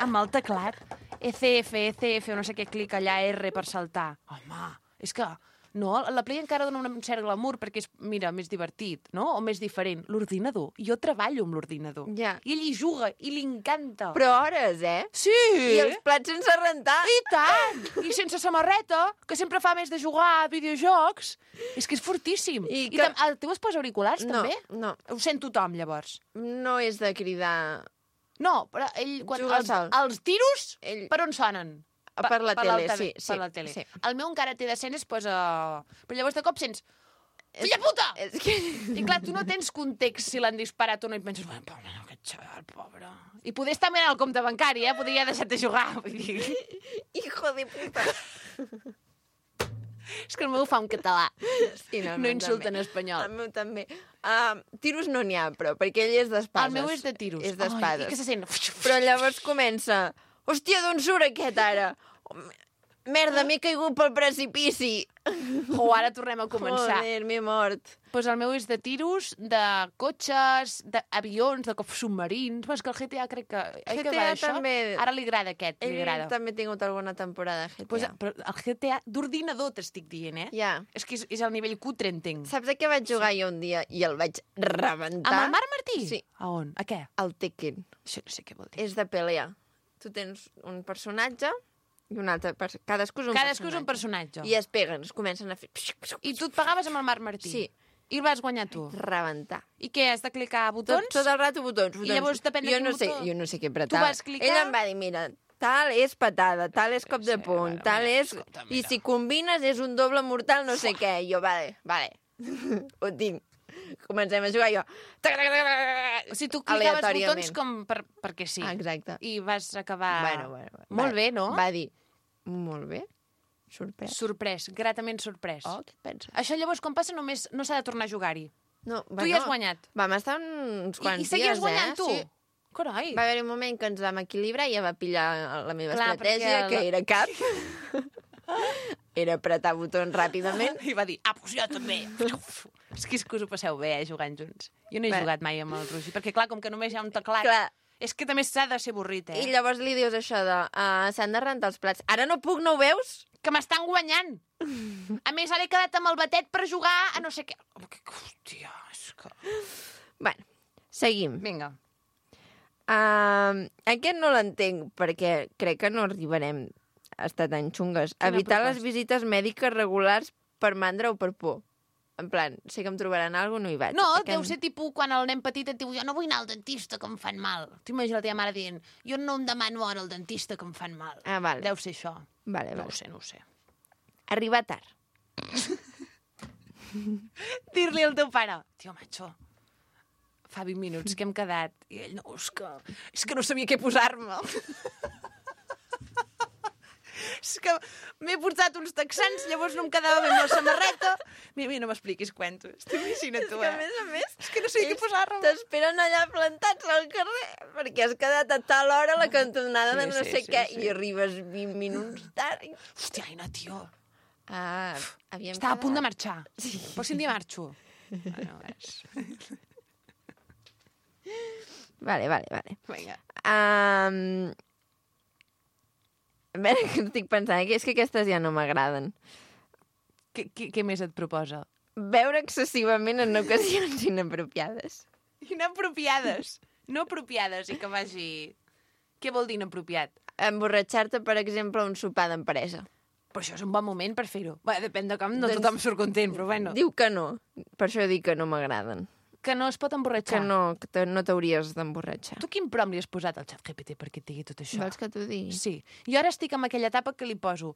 amb el teclat. ECF, o no sé què, clica allà R per saltar. Home, és que... No, la Play encara dona un cert glamour perquè és, mira, més divertit, no? O més diferent. L'ordinador. Jo treballo amb l'ordinador. Ja. I ell hi juga, i li encanta. Però hores, eh? Sí! I els plats sense rentar. I tant! I sense samarreta, que sempre fa més de jugar a videojocs. És que és fortíssim. I I que- el teu es posa auriculars, No, també? no. Ho sent tothom, llavors. No és de cridar... No, però ell... Juga sol. Els tiros, Ell- per on sonen? Per la tele, l'alta- sí. Per la tele. Sí. El meu encara té d'escenes, posa... Però llavors de cop sents... Filla puta! És que... I clar, tu no tens context si l'han disparat o no, i penses, bueno, pobre, aquest xaval, pobre... I podria estar mirant el compte bancari, podria deixar de jugar. Vull dir... Hijo de puta. És que el meu ho fa en català. Sí, No meu insulta també. en espanyol. El meu també. Tiros no n'hi ha, però, perquè ell és d'espases. El meu és de tiros. És d'espades. Ai, i que se sent... Però llavors comença... Hòstia, d'on surt aquest ara? Merda, m'he caigut pel precipici. O ara tornem a començar. Joder, m'he mort. Pues el meu és de tiros, de cotxes, d'avions, de submarins... Però és que el GTA crec que... Oi que GTA va d'això? també. Ara li agrada aquest, li Ell agrada. també ha tingut alguna temporada de GTA. Pues, però el GTA d'ordinador t'estic dient, Ja. És que és el nivell cutre, entenc. Saps a què vaig jugar jo un dia i el vaig rebentar? Amb el Marc Martí? Sí. A on? A què? El Tekken. Això no sé què vol dir. És de pelea. Tu tens un personatge i un altre... Cadascú és un Cadascú és un personatge. I es peguen, es comencen a fer... I tu et pagaves amb el Marc Martí? Sí. I el vas guanyar tu? Rebentar. I què, has de clicar botons? Tot el rato botons. I llavors depèn de jo quin no sé, botó. Jo no sé què apretar. Tu vas clicar- Ell em va dir, mira, tal és patada, tal és cop de puny, bueno, tal mira, és... escolta, I mira. si combines és un doble mortal no sé què. I jo, vale. Ho tinc. Comencem a jugar jo. O sigui, tu clicaves Aleatòriament. botons com perquè sí. Exacte. I vas acabar... Bueno. Molt bé, no? Va dir, molt bé, sorprès. Sorprès, gratament sorprès. Oh, què et penses? Això llavors, quan passa, només no s'ha de tornar a jugar-hi. No, Tu ja has guanyat. Vam estar uns quants I seguies dies, guanyant, tu? Sí. Carai. Va haver un moment que ens vam equilibrar i ja va pillar la meva Clar, estratègia, perquè que era cap. Era apretar botons ràpidament. I va dir, pues jo també. És que us ho passeu bé, jugant junts. Jo no he Bé. jugat mai amb el Roger, perquè clar, com que només hi ha un teclat... Clar. És que també s'ha de ser avorrit, I llavors li dius això de s'han de rentar els plats. Ara no puc, no ho veus? Que m'estan guanyant. A més, ara he quedat amb el batet per jugar a no sé què. Hòstia, és que... Bueno, seguim. Vinga. Aquest no l'entenc, perquè crec que no arribarem a estar tan xungues. Quina Evitar les proposta? visites mèdiques regulars per mandra o per por. En plan, sé que em trobaran alguna cosa, no hi vaig. No, Aquest- deu ser tipus quan el nen petit et diu jo no vull anar al dentista que em fan mal. T'imagines la teva mare dient jo no em demano ara al dentista que em fan mal. Ah, vale. Deu ser això. Vale, No vale. ho sé, no ho sé. Arribar tard. Dir-li al teu pare, tio, macho, fa 20 minuts que hem quedat. I ell, no, és que no sabia què posar-me. És que m'he portat uns texans, llavors no em quedava bé amb la samarreta. Mira, no m'expliquis cuentos. T'imagina't tu, Que, a més, És que no sé què ells posar-me. t'esperen allà plantats al carrer perquè has quedat a tal hora a la cantonada de Sí, no sí, sé sí, què sí. i arribes 20 minuts tard. Hòstia, Aina, tio. Havíem Estava a punt de quedat. marxar. Sí. Però si un dia marxo. Bueno, és... Vale. Vinga. A veure, que estic pensant, és que aquestes ja no m'agraden. Què més et proposa? Veure excessivament en ocasions inapropiades. Inapropiades. No apropiades i que vagi... Què vol dir inapropiat? Emborratxar-te, per exemple, a un sopar d'empresa. Però això és un bon moment per fer-ho. Bé, depèn de com, no Doncs- tothom surt content, però bueno. Diu que no. Per això dic que no m'agraden. Que no es pot Que emborratxar. no t'hauries d'emborratxar. Tu quin prom li has posat al xat GPT perquè et digui tot això? Vols que t'ho digui? Sí. Jo ara estic en aquella etapa que li poso.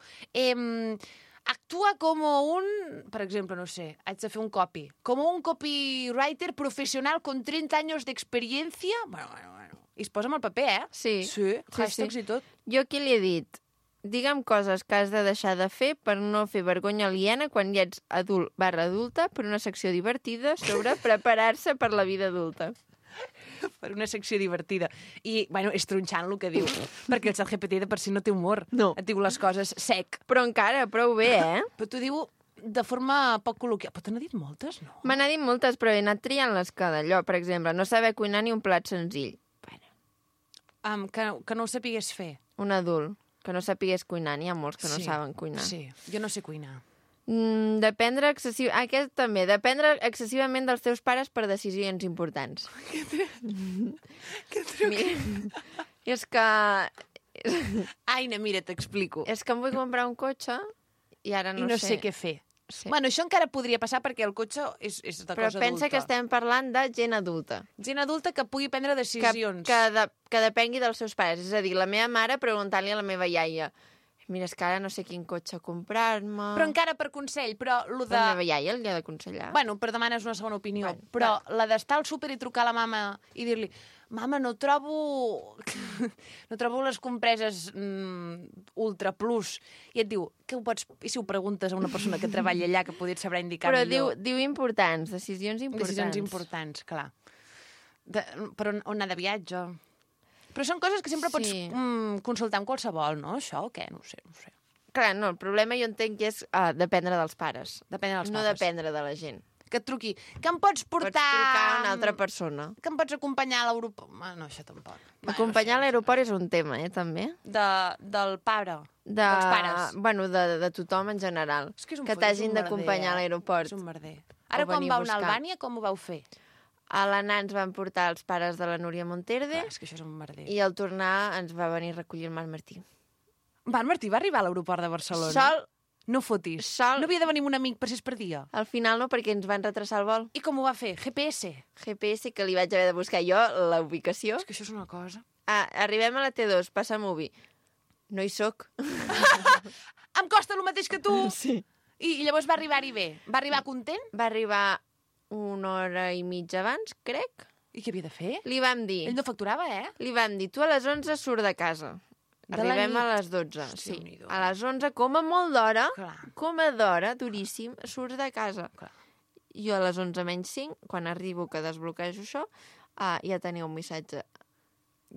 Actúa como un... Per exemple, no sé, haig de fer un copy. Como un copywriter professional con 30 años de experiencia. Bueno. I es posa amb el paper, eh? Sí. Sí, hashtags sí. i tot. Jo aquí li he dit, digue'm coses que has de deixar de fer per no fer vergonya aliena quan ja ets adult/adulta per una secció divertida sobre preparar-se per la vida adulta. Per una secció divertida. I, bueno, és tronxant el que diu. Perquè el ChatGPT de per si no té humor. No. Et diu les coses sec. Però encara, prou bé, eh? Però t'ho diu de forma poc col·loquial. Però te n'ha dit moltes, no? Me n'ha dit moltes, però he anat triant les que d'allò. Per exemple, no saber cuinar ni un plat senzill. Bueno, Que no ho sapigués fer. un adult que no sapigués cuinar, n'hi ha molts que no saben cuinar. Sí, jo no sé cuinar. Dependre aquest també, dependre excessivament dels teus pares per decisions importants. Què truc? Mira, és que Aina, mira, t'explico. em vull comprar un cotxe i ara I no sé què fer. Sí. Bueno, això encara podria passar perquè el cotxe és de Però cosa pensa adulta. que estem parlant de gent adulta. Gent adulta que pugui prendre decisions. Que depengui dels seus pares. És a dir, la meva mare preguntant-li a la meva iaia Mira, és que ara no sé quin cotxe comprar-me... Però encara per consell, però lo de... La meva iaia li ha d'aconsellar. Bueno, però demanes una segona opinió. Bueno, però la d'estar al súper i trucar a la mama i dir-li mama, no trobo les compreses Ultra Plus. I et diu, què ho pots... I si ho preguntes a una persona que treballa allà que podria saber indicar Però millor? diu importants, decisions importants. Decisions importants, clar. Però on anar de viatge? Però són coses que sempre pots consultar amb qualsevol, no? Això o què? No ho sé. Clar, no, el problema jo entenc que és dependre dels pares. Dependre dels no pares. dependre de la gent. Que et truqui. Que em pots portar... Pots trucar a una altra persona. Que em pots acompanyar a l'aeroport. No, això tampoc. Acompanyar a l'aeroport és un tema, també. Del pare. Dels pares. Bueno, de tothom en general. És que és un que t'hagin d'acompanyar a l'aeroport. És un merder. Ara, quan vau anar a Albània, com ho vau fer? A l'anar ens van portar els pares de la Núria Monterde. És que això és un merder. I al tornar ens va venir a recollir el Marc Martí. Marc Martí va arribar a l'aeroport de Barcelona? Sol. No fotis. Sol. No havia de venir amb un amic per si es perdia? Al final no, perquè ens van retrasar el vol. I com ho va fer? GPS? GPS, que li vaig haver de buscar jo, la ubicació. És que això és una cosa. Arribem a la T2, passa Movi. No hi soc. Em costa el mateix que tu! Sí. I llavors va arribar-hi bé? Va arribar content? Va arribar 1 hora i mitja abans, crec. I què havia de fer? Li vam dir... Ell no facturava, Li vam dir, tu a les 11 surt de casa. Arribem a les 12, sí. A les 11, com a molt d'hora, com a d'hora, duríssim, surts de casa. Clar. Jo a les 11 menys 5, quan arribo que desbloquejo això, ja tenia un missatge.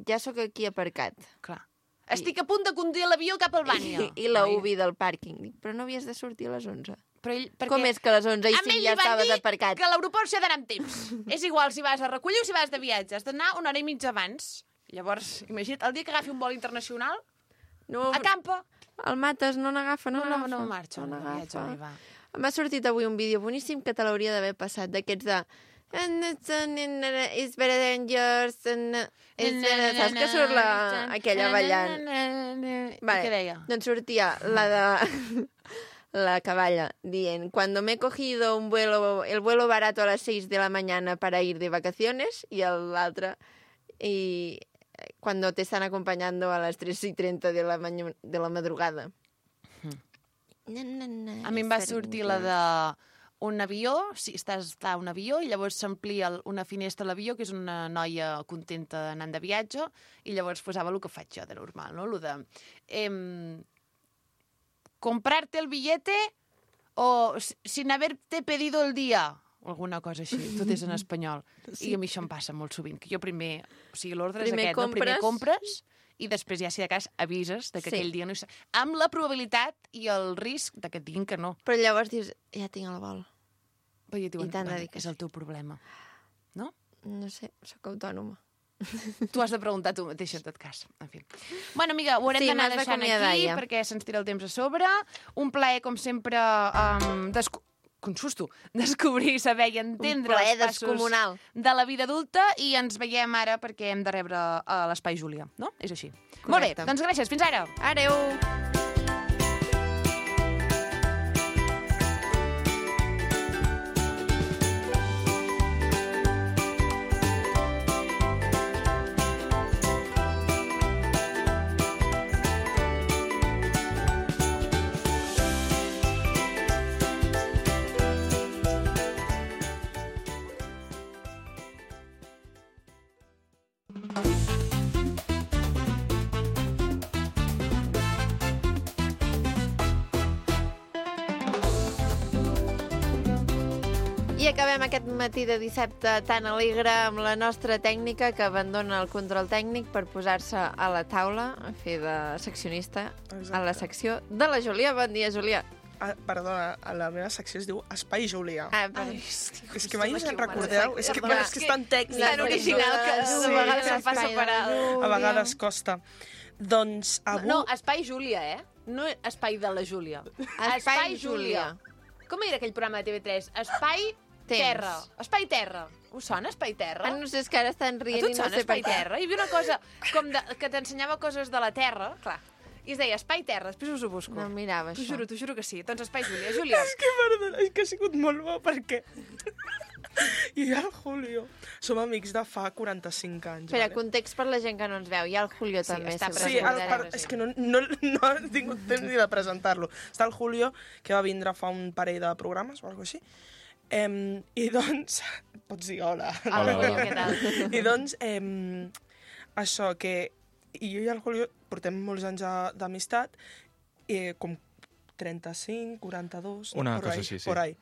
Ja sóc aquí aparcat. Clar. Estic a punt de conduir l'avió cap a Albània. I la UBI del pàrquing. Dic, però no havies de sortir a les 11. Però ell, com és que a les 11 i 5 ja estaves aparcat? Que a l'aeroport s'ha d'anar amb temps. És igual si vas a recollir o si vas de viatge. Has d'anar 1 hora i mitja abans. Llavors, imagina't, el dia que agafi un vol internacional, acampa. El mates, no n'agafa, no marxa. No n'agafa. M'ha sortit avui un vídeo boníssim que te l'hauria d'haver passat, d'aquests de... It's better than yours. Saps que surt aquella ballant? Vale. Què deia? Doncs sortia la de... la caballa, dient, cuando me he cogido el vuelo barato a las 6 de la mañana para ir de vacaciones, y l'altre, y cuando te están acompañando a las 3:30 de la madrugada. A mi em va sortir la de un avió, si estàs a un avió, i llavors s'amplia una finestra a l'avió, que és una noia contenta anant de viatge, i llavors posava el que faig jo de normal, no? Lo de... comprarte el billete o sin haberte pedido el día, o alguna cosa així, tot és en espanyol. Sí. I a mi això em passa molt sovint, que jo primer, o sigui, l'ordre és aquest, no? Primer compres i després ja, si de cas, avises de que aquell dia no hi... Amb la probabilitat i el risc de que et diguin que no. Però llavors dius, ja tinc el vol. Però ja diuen, és el teu problema. No? No sé, sóc autònoma. Tu has de preguntar tu mateixa, en tot cas. En fi. Bueno, amiga, ho haurem d'anar deixant aquí perquè se'ns tira el temps a sobre. Un plaer, com sempre, con susto, descobrir, saber i entendre els passos de la vida adulta, i ens veiem ara perquè hem de rebre a l'Espai Júlia, no? És així. Correcte. Molt bé, doncs gràcies. Fins ara. Adéu. I acabem aquest matí de dissabte tan alegre amb la nostra tècnica que abandona el control tècnic per posar-se a la taula a fer de seccionista. Exacte. A la secció de la Júlia. Bon dia, Júlia. Perdona, a la meva secció es diu Espai Júlia. És que mai us en recordeu? És que és tan tècnic. Tan original que a vegades em fa separar. A vegades costa. Doncs avui... No, Espai Júlia, No Espai de la Júlia. Espai Júlia. Com era aquell programa de TV3? Espai Terra. Espai Terra. Us sona Espai Terra? No sé, és que ara estan rient i no sé per què. Terra? Hi havia una cosa com que t'ensenyava coses de la Terra, clar, I es deia Espai Terra, després us ho busco. No mirava això. T'ho juro que sí. Doncs Espai Júlia. Júlia. Perdona, és que ha sigut molt bo perquè... I el Julio som amics de fa 45 anys. Espera, context per la gent que no ens veu. Hi ha el Julio també. està Sí, és que no he tingut temps ni de presentar-lo. Està el Julio, que va vindre fa un parell de programes o alguna cosa així. I doncs... Pots dir hola. Hola, Julio, què tal? I doncs, això, que jo i el Julio portem molts anys d'amistat, com 35, 42... Una cosa així, sí. Por ahí.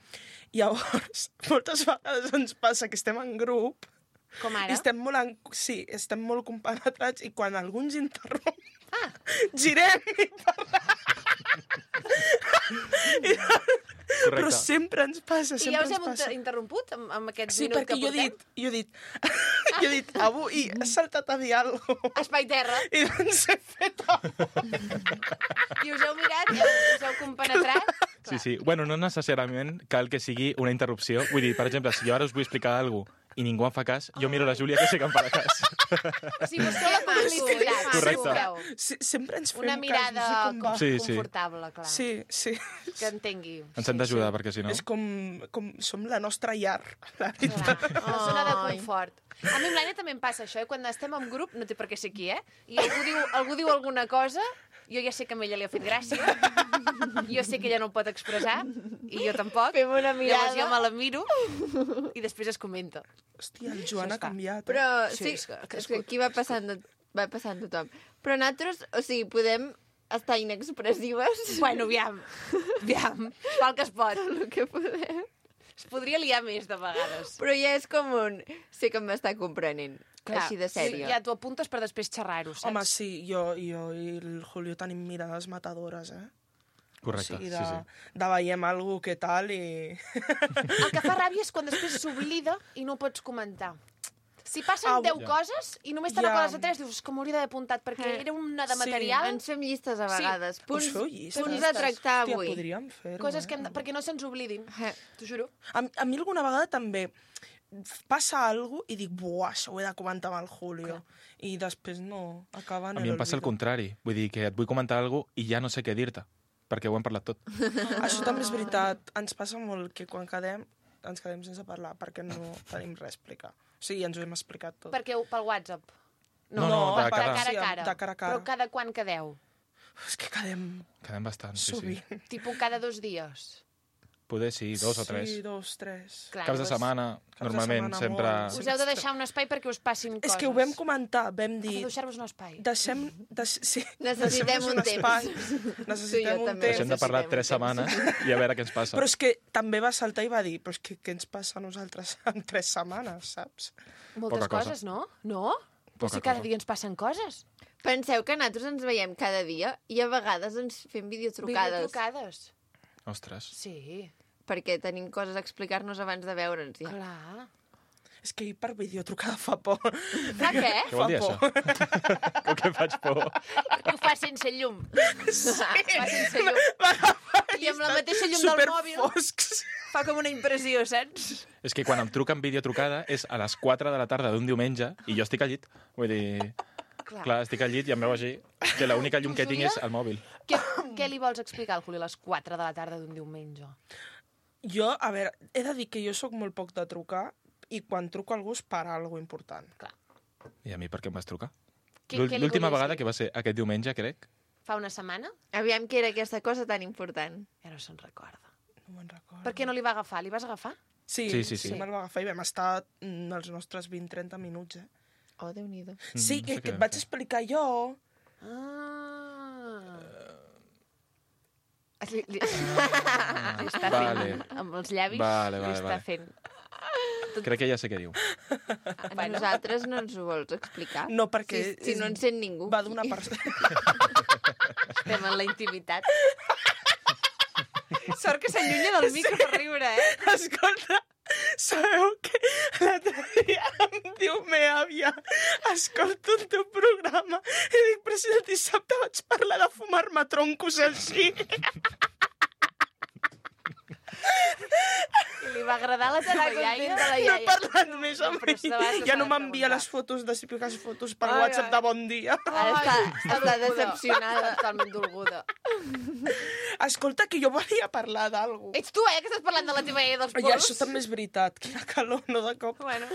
Llavors, moltes vegades ens passa que estem en grup Com ara? i estem molt compenetrats i quan algú ens interromp, girem i parlem. Però sempre ens passa, I ja sempre us ens hem passa. interromput amb aquest Sí, minut perquè que portem? jo he dit, avui has saltat a dir alguna cosa. Espai Terra. I doncs he fet I us heu mirat, us heu compenetrat. Sí. Bueno, no necessàriament cal que sigui una interrupció. Vull dir, per exemple, si jo ara us vull explicar alguna cosa i ningú em fa cas, jo miro la Júlia que sí que em farà cas. O sigui, busqueu la complicitat. Correcte. Sempre ens fem Una mirada cas, no sé com va. Sí. confortable, clar. Sí. Que entengui. Ens hem d'ajudar, perquè si no... És com som la nostra llar, la Clar, veritat. una zona de confort. A mi amb l'Anna també em passa això, quan estem en grup, no té per què ser aquí, i algú diu alguna cosa, jo ja sé que a ella li ha fet gràcia, jo sé que ella no ho pot expressar, i jo tampoc. Fem una mirada. Llavors jo me la miro i després es comenta. Hòstia, el Joan ha canviat. Però Sí, sí, és és que aquí va passant tothom. Però nosaltres, o sigui, podem estar inexpressives. Bueno, aviam, val que es pot. El que podem. Es podria liar més de vegades. Però ja és com un... Sé que m'està comprenent. Així de sèrio. Ja t'ho apuntes per després xerrar-ho, saps? Home, sí, jo i el Julio tenim mirades matadores, Correcte, O sigui, sí. de veiem alguna que tal i... El que fa ràbia és quan després s'oblida i no pots comentar. Si passen 10 coses i només te n'acordes de 3, dius que m'hauria d'haver apuntat perquè era una de material. Ens fem llistes a vegades. Us feu llistes? Punts a tractar Hòstia, avui. podríem fer-ho, Coses que perquè no se'ns oblidin. T'ho juro. A mi alguna vegada també passa alguna cosa i dic, buah, això ho he de comentar amb el Julio. I després no, acaba en A mi em passa el contrari. Vull dir que et vull comentar alguna cosa i ja no sé què dir-te, perquè ho hem parlat tot. Això també és veritat. Ens passa molt que quan quedem, ens quedem sense parlar, perquè no tenim res a explicar. O sigui, ens ho hem explicat tot. Perquè pel WhatsApp. No, de de cara. cara a Sí, cara. de cara a cara. Però cada quan quedeu? És que quedem Quedem bastant, sí. sovint. Tipus cada 2 dies. Poder sí, 2 o 3. Sí, 2, 3. Clar, Caps de doncs setmana, de normalment, setmana sempre... molt. Us heu de deixar un espai perquè us passin coses. És que ho vam comentar, vam dir... Heu de deixar-vos un espai. Sí, Necessitem deixem-nos un temps. espai. Tu i jo Necessitem un també. temps. Deixem de parlar 3 setmanes i a veure què ens passa. Però és que també va saltar i va dir, però és que què ens passa a nosaltres en 3 setmanes, saps? Moltes Poca cosa. coses, no? No? Però Poca si cada cosa. dia ens passen coses. Penseu que nosaltres ens veiem cada dia i a vegades ens fem videotrucades. Videotrucades. Ostres. Sí, Perquè tenim coses a explicar-nos abans de veure'ns. Ja. clar. És que per videotrucada fa por. Fa què? Què vol dir, això? Com que faig por? Que ho fa sense llum. Sí. Fa sense llum. I amb la mateixa llum del mòbil Superfoscs. fa com una impressió, saps? És que quan em truquen videotrucada és a les 4 de la tarda d'un diumenge i jo estic al llit. Vull dir... Clar, estic al llit i em veu així que l'única llum que tinc és el mòbil. Què li vols explicar al Juli a les 4 de la tarda d'un diumenge? Jo, a veure, he de dir que jo sóc molt poc de trucar i quan truco a algú és per alguna important. Clar. I a mi per què em vas trucar? Què li L'última volies vegada, dir? que va ser aquest diumenge, crec. Fa una setmana? Aviam què era aquesta cosa tan important. Ja no se'n recorda. No me'n recordo. Per què no li va agafar? Li vas agafar? Sí, Sí. me'l va agafar i vam estar els nostres 20-30 minuts, Oh, Déu-n'hi-do. Sí, no sé que què et vaig fer. explicar jo. Li està Vale. fent amb els llavis. Vale, li està vale. fent. Crec que ja sé què diu. A nosaltres no ens ho vols explicar? No, perquè Si no ens sent ningú. va d'una persona... Estem en la intimitat. Sort que s'allunya del micro per riure, Escolta, sabeu que l'altre dia em diu meva àvia, escolto el teu programa i dic, però si el dissabte vaig parlar de fumar-me troncos així. I li va agradar la teva iaia? No he parlat més amb Però se va- ell. se Ja s'ha no de m'envia preguntar. les fotos de típiques fotos per Ai, WhatsApp ai. de bon dia. Ara està decepcionada. Totalment dolguda. Escolta, que jo volia parlar d'algú. Ets tu, que estàs parlant de la teva iaia dels Ja, porros? això també és veritat. Quina calor, no de cop. Bueno.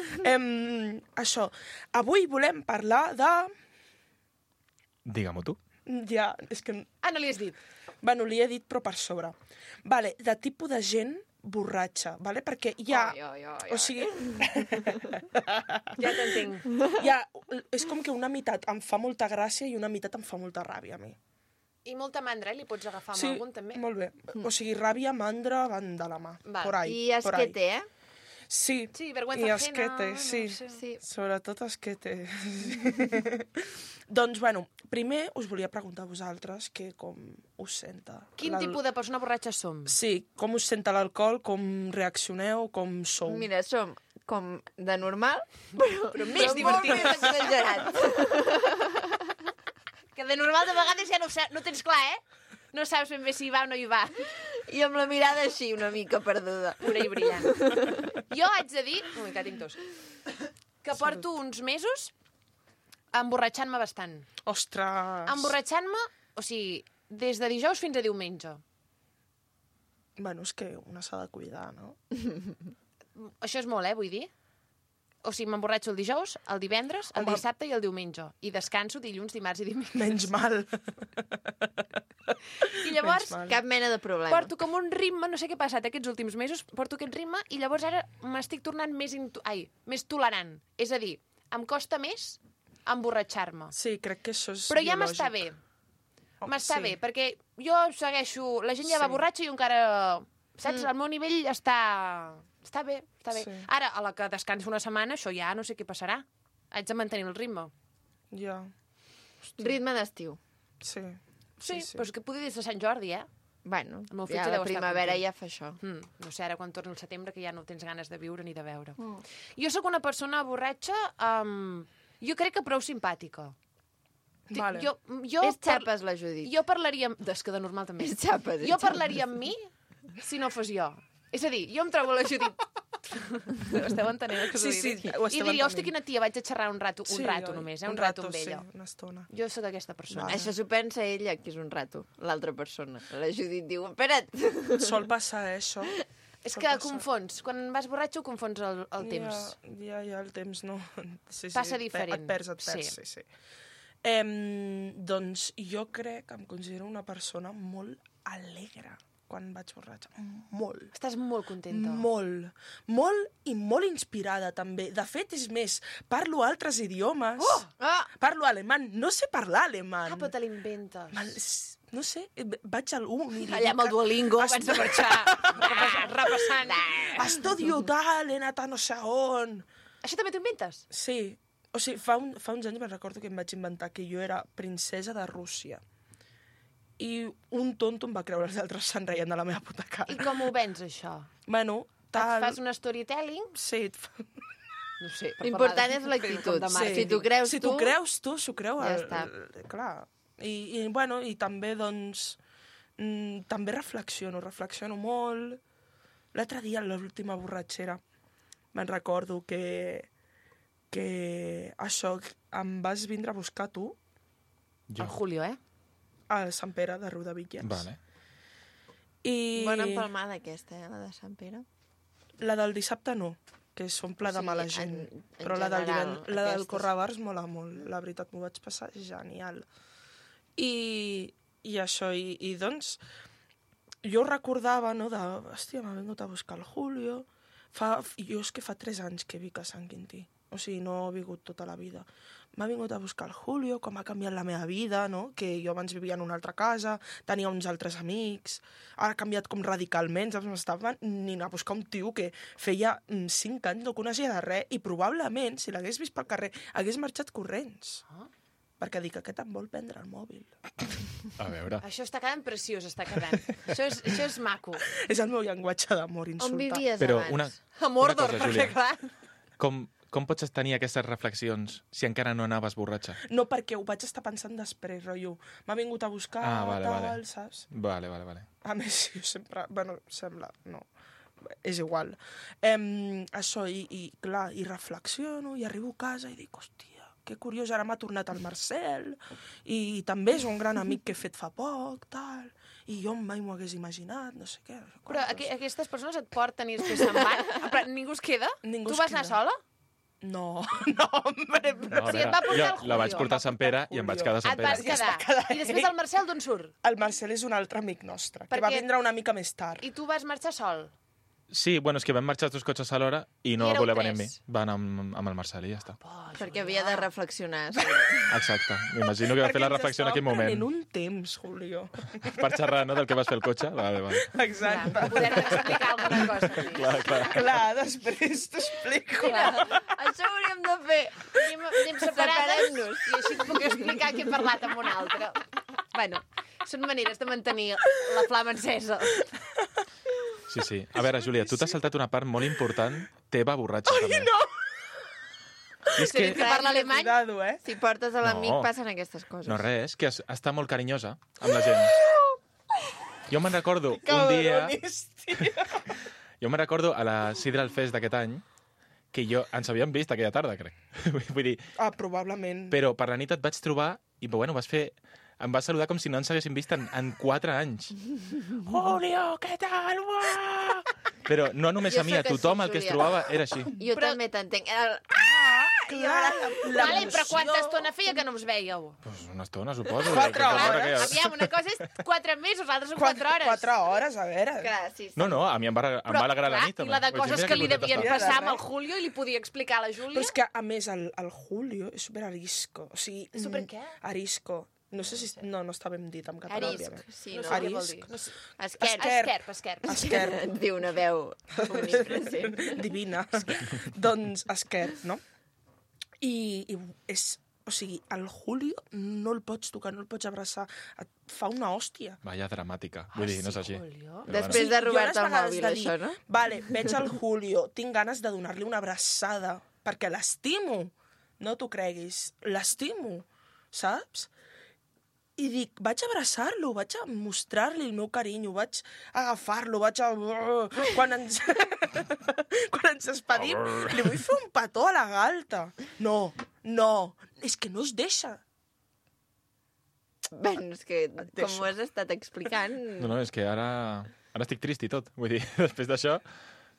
Això. Avui volem parlar de... Digue-m'ho tu. Ja, és que... Ah, no li has dit. Bueno, li he dit, però per sobre. Vale, de tipus de gent borratxa, vale? Perquè hi ha... O sigui, Ja t'entenc. és com que una meitat em fa molta gràcia i una meitat em fa molta ràbia, a mi. I molta mandra, li pots agafar amb Sí, algun, també? molt bé. O sigui, ràbia, mandra, van de la mà. Val. Por ahí, I por ahí. esquete, eh? Sí, Sí, vergüenza i ajena, esquete, sí. no sé. Sí. Sobretot esquete. Doncs, bueno, primer us volia preguntar a vosaltres que com us senta. Quin tipus de persona borratxa som? Sí, com us senta l'alcohol, com reaccioneu, com sou. Mira, som com de normal, però més molt divertit. més exagerat. Que de normal de vegades ja no tens clar, eh? No saps ben bé si hi va o no hi va. I amb la mirada així, una mica perduda. Pura i brillant. Jo haig de dir... Ui, que tinc tos. Que porto uns mesos emborratxant-me bastant. Ostres! Emborratxant-me, o sigui, des de dijous fins a diumenge. Bueno, és que una s'ha de cuidar, no? Això és molt, vull dir. O sigui, m'emborratxo el dijous, el divendres, el Home. dissabte i el diumenge. I descanso dilluns, dimarts i dimecres. Menys mal. I llavors, Menys mal. Cap mena de problema. porto com un ritme, no sé què ha passat aquests últims mesos, porto aquest ritme i llavors ara m'estic tornant més tolerant. És a dir, em costa més emborratxar-me. Sí, crec que això és Però ja biològic. m'està bé. Oh, M'està sí. bé, perquè jo segueixo... La gent ja va Sí. borratxa i jo encara... Saps? El meu nivell està... Està bé, està bé. Sí. Ara, a la que descanso una setmana, això ja no sé què passarà. Haig de mantenir el ritme. Ja, Ritme d'estiu. sí. Sí, però és que poder des de Sant Jordi, Bueno, El meu ja fetge la deu estar primavera content. ja fa això. No sé, ara quan torni el setembre que ja no tens ganes de viure ni de veure. Jo sóc una persona borratxa, jo crec que prou simpàtica. Vale. Jo És xapes, la Judit. Jo parlaria... És que de normal també. És xapes, és Jo xapes. parlaria amb mi si no fos jo. És a dir, jo em trobo la Judit... Esteu entenent el que us Sí, vull sí, dir? ho I estem diria, hòstia, entenent. quina tia, vaig a xerrar un rato oi? només, Un un rato amb sí, ella. una estona. Jo sóc aquesta persona. Vale. Això s'ho pensa ella, que és un rato, l'altra persona. La Judit diu, espera't. Sol passar, això. És Sol que passar. confons. Quan vas borratxo, confons el temps. Ja, el temps no... Sí, Passa diferent. Et perds, Sí. sí. Doncs jo crec que em considero una persona molt alegre quan vaig borratxa. Molt. Estàs molt contenta. Molt. Molt i molt inspirada, també. De fet, és més, parlo altres idiomes. Ah! Parlo alemany. No sé parlar alemany. Ah, però te l'inventes. No sé, vaig al uni. Allà amb el Duolingo abans de marxar, repassant. Estudio tal, he anat a no sé on. Això també t'ho inventes? Sí. O sigui, fa uns anys me'n recordo que em vaig inventar que jo era princesa de Rússia. I un tonto em va creure, els altres se'n reien de la meva puta cara. I com ho vens, això? Bueno, tal... Et fas un storytelling? Sí, No sé. per L'important parlar és de- l'actitud. com de Sí. màrqueting. Si t'ho creus si tu... t'ho creus tu, s'ho creu Ja està. clar. I bueno, i també, doncs, també reflexiono molt. L'altre dia, a l'última borratxera, me'n recordo que això, em vas vindre a buscar tu El Julio, a Sant Pere de Riudebitlles. Vale. I Bona empalmada aquesta, la de Sant Pere. la del dissabte no, que s'omple O de sigui, mala en gent. general, Però la del aquestes. Correbars mola molt. La veritat, m'ho vaig passar genial. I això, i doncs, jo recordava, no, hòstia, m'ha vingut a buscar el Julio. Jo és que fa 3 anys que vic a Sant Quintí. O sigui, no he vingut tota la vida. M'ha vingut a buscar el Julio, com ha canviat la meva vida, no? Que jo abans vivia en una altra casa, tenia uns altres amics, ara ha canviat com radicalment, saps? M'estava anant a buscar un tio que feia 5 anys no coneixia de res i probablement, si l'hagués vist pel carrer, hagués marxat corrents. Perquè dic, aquest em vol prendre el mòbil. A veure. Això està quedant preciós, està quedant. Això és maco. És el meu llenguatge d'amor, On insultar. vivies Però abans? A Mordor, cosa, perquè Júlia. clar... Com pots tenir aquestes reflexions si encara no anaves borratxa? No, perquè ho vaig estar pensant després, rotllo. M'ha vingut a buscar, Ah, vale, tal, vale. saps? Vale. A més, jo sempre... Bueno, sembla... No. és igual. Això, i clar, i reflexiono, i arribo a casa i dic, hòstia, que curiós, ara m'ha tornat el Marcel, i també és un gran amic que he fet fa poc, tal, i jo mai m'ho hagués imaginat, no sé què. Però aquestes persones et porten i després se'n van? Però ningú es queda? Ningú Tu es vas anar queda. sola? No, hombre, però... No, a Sí, et veure, va portar jo el la vaig Julio. portar a Sant Pere i em vaig quedar a Sant Et vas Pere. Ja es va quedar. quedar I després el Marcel d'on surt? El Marcel és un altre amic nostre, que va Perquè- vindre una mica més tard. I tu vas marxar sol? Sí, bueno, és que vam marxar els 2 cotxes a l'hora i no I va éreu voler venir amb mi. 3. Va anar amb el Marcel i ja està. Perquè havia de reflexionar. Exacte. M'imagino que va fer la reflexió en aquell moment. Perquè ens estàvem prenent un temps, Julio. Per xerrar, no?, del que vas fer al cotxe. Vale. Exacte. Per poder explicar alguna cosa. Sí. Clar, després t'explico. Això ho hauríem de fer. Anem separades Separem-nos. i així puc explicar que he parlat amb un altre. Bueno, són maneres de mantenir la flama encesa. Sí. A veure, Júlia, tu t'has saltat una part molt important teva borratxa. Ai, no! I és que... Que parla alemany? Cuidado, Si portes a l'amic No. passen aquestes coses. No res, que està molt carinyosa amb la gent. Jo me'n recordo un dia... Jo me'n recordo a la Sidral Fest d'aquest any que ens havíem vist aquella tarda, crec. Vull dir, Probablement. però per la nit et vaig trobar i, bueno, em vas saludar com si no ens haguéssim vist en 4 anys. Julio, què tal? Uah! Però no només Jo a mi, a sóc així, tothom el que es Júlia. trobava era així. Jo també t'entenc. Vale, però quanta estona feia que no us veieu? Pues una estona, suposo. 4 Tota l'hora hores. que ja- Aviam, una cosa és 4 mesos, l'altra són 4 hores. 4 hores, a veure. Clar, sí. No, a mi em va alegrar la nit. I la de Vaig dir, coses mira que li contenta devien està. passar amb el Julio i li podia explicar a la Júlia. Però és que, a més, el Julio és super arisco. O sigui, Super què? Arisco. No sé si... No està ben dit en català, Arisc, òbviament. sí, No no. sé què vol dir. Arisc. No sé. Esquerp. Esquerp. Et diu una veu omnipresent. Divina. Doncs Esquerp, no? I és... O sigui, el Julio no el pots tocar, no el pots abraçar. Et fa una hòstia. Vaya dramàtica. Vull dir, no és així. Julio. Però Després de Jo robar-te les el vegades mòbil, de dir, això, no? Vale, veig el Julio, tinc ganes de donar-li una abraçada, perquè l'estimo. No t'ho creguis, l'estimo, saps? I dic, vaig a abraçar-lo, vaig a mostrar-li el meu carinyo, vaig a agafar-lo, vaig a... Quan ens... Quan ens despedim, li vull fer un petó a la galta. No, és que no es deixa. Bé, és que, com ho has estat explicant... No, és que ara estic trist i tot. Vull dir, després d'això,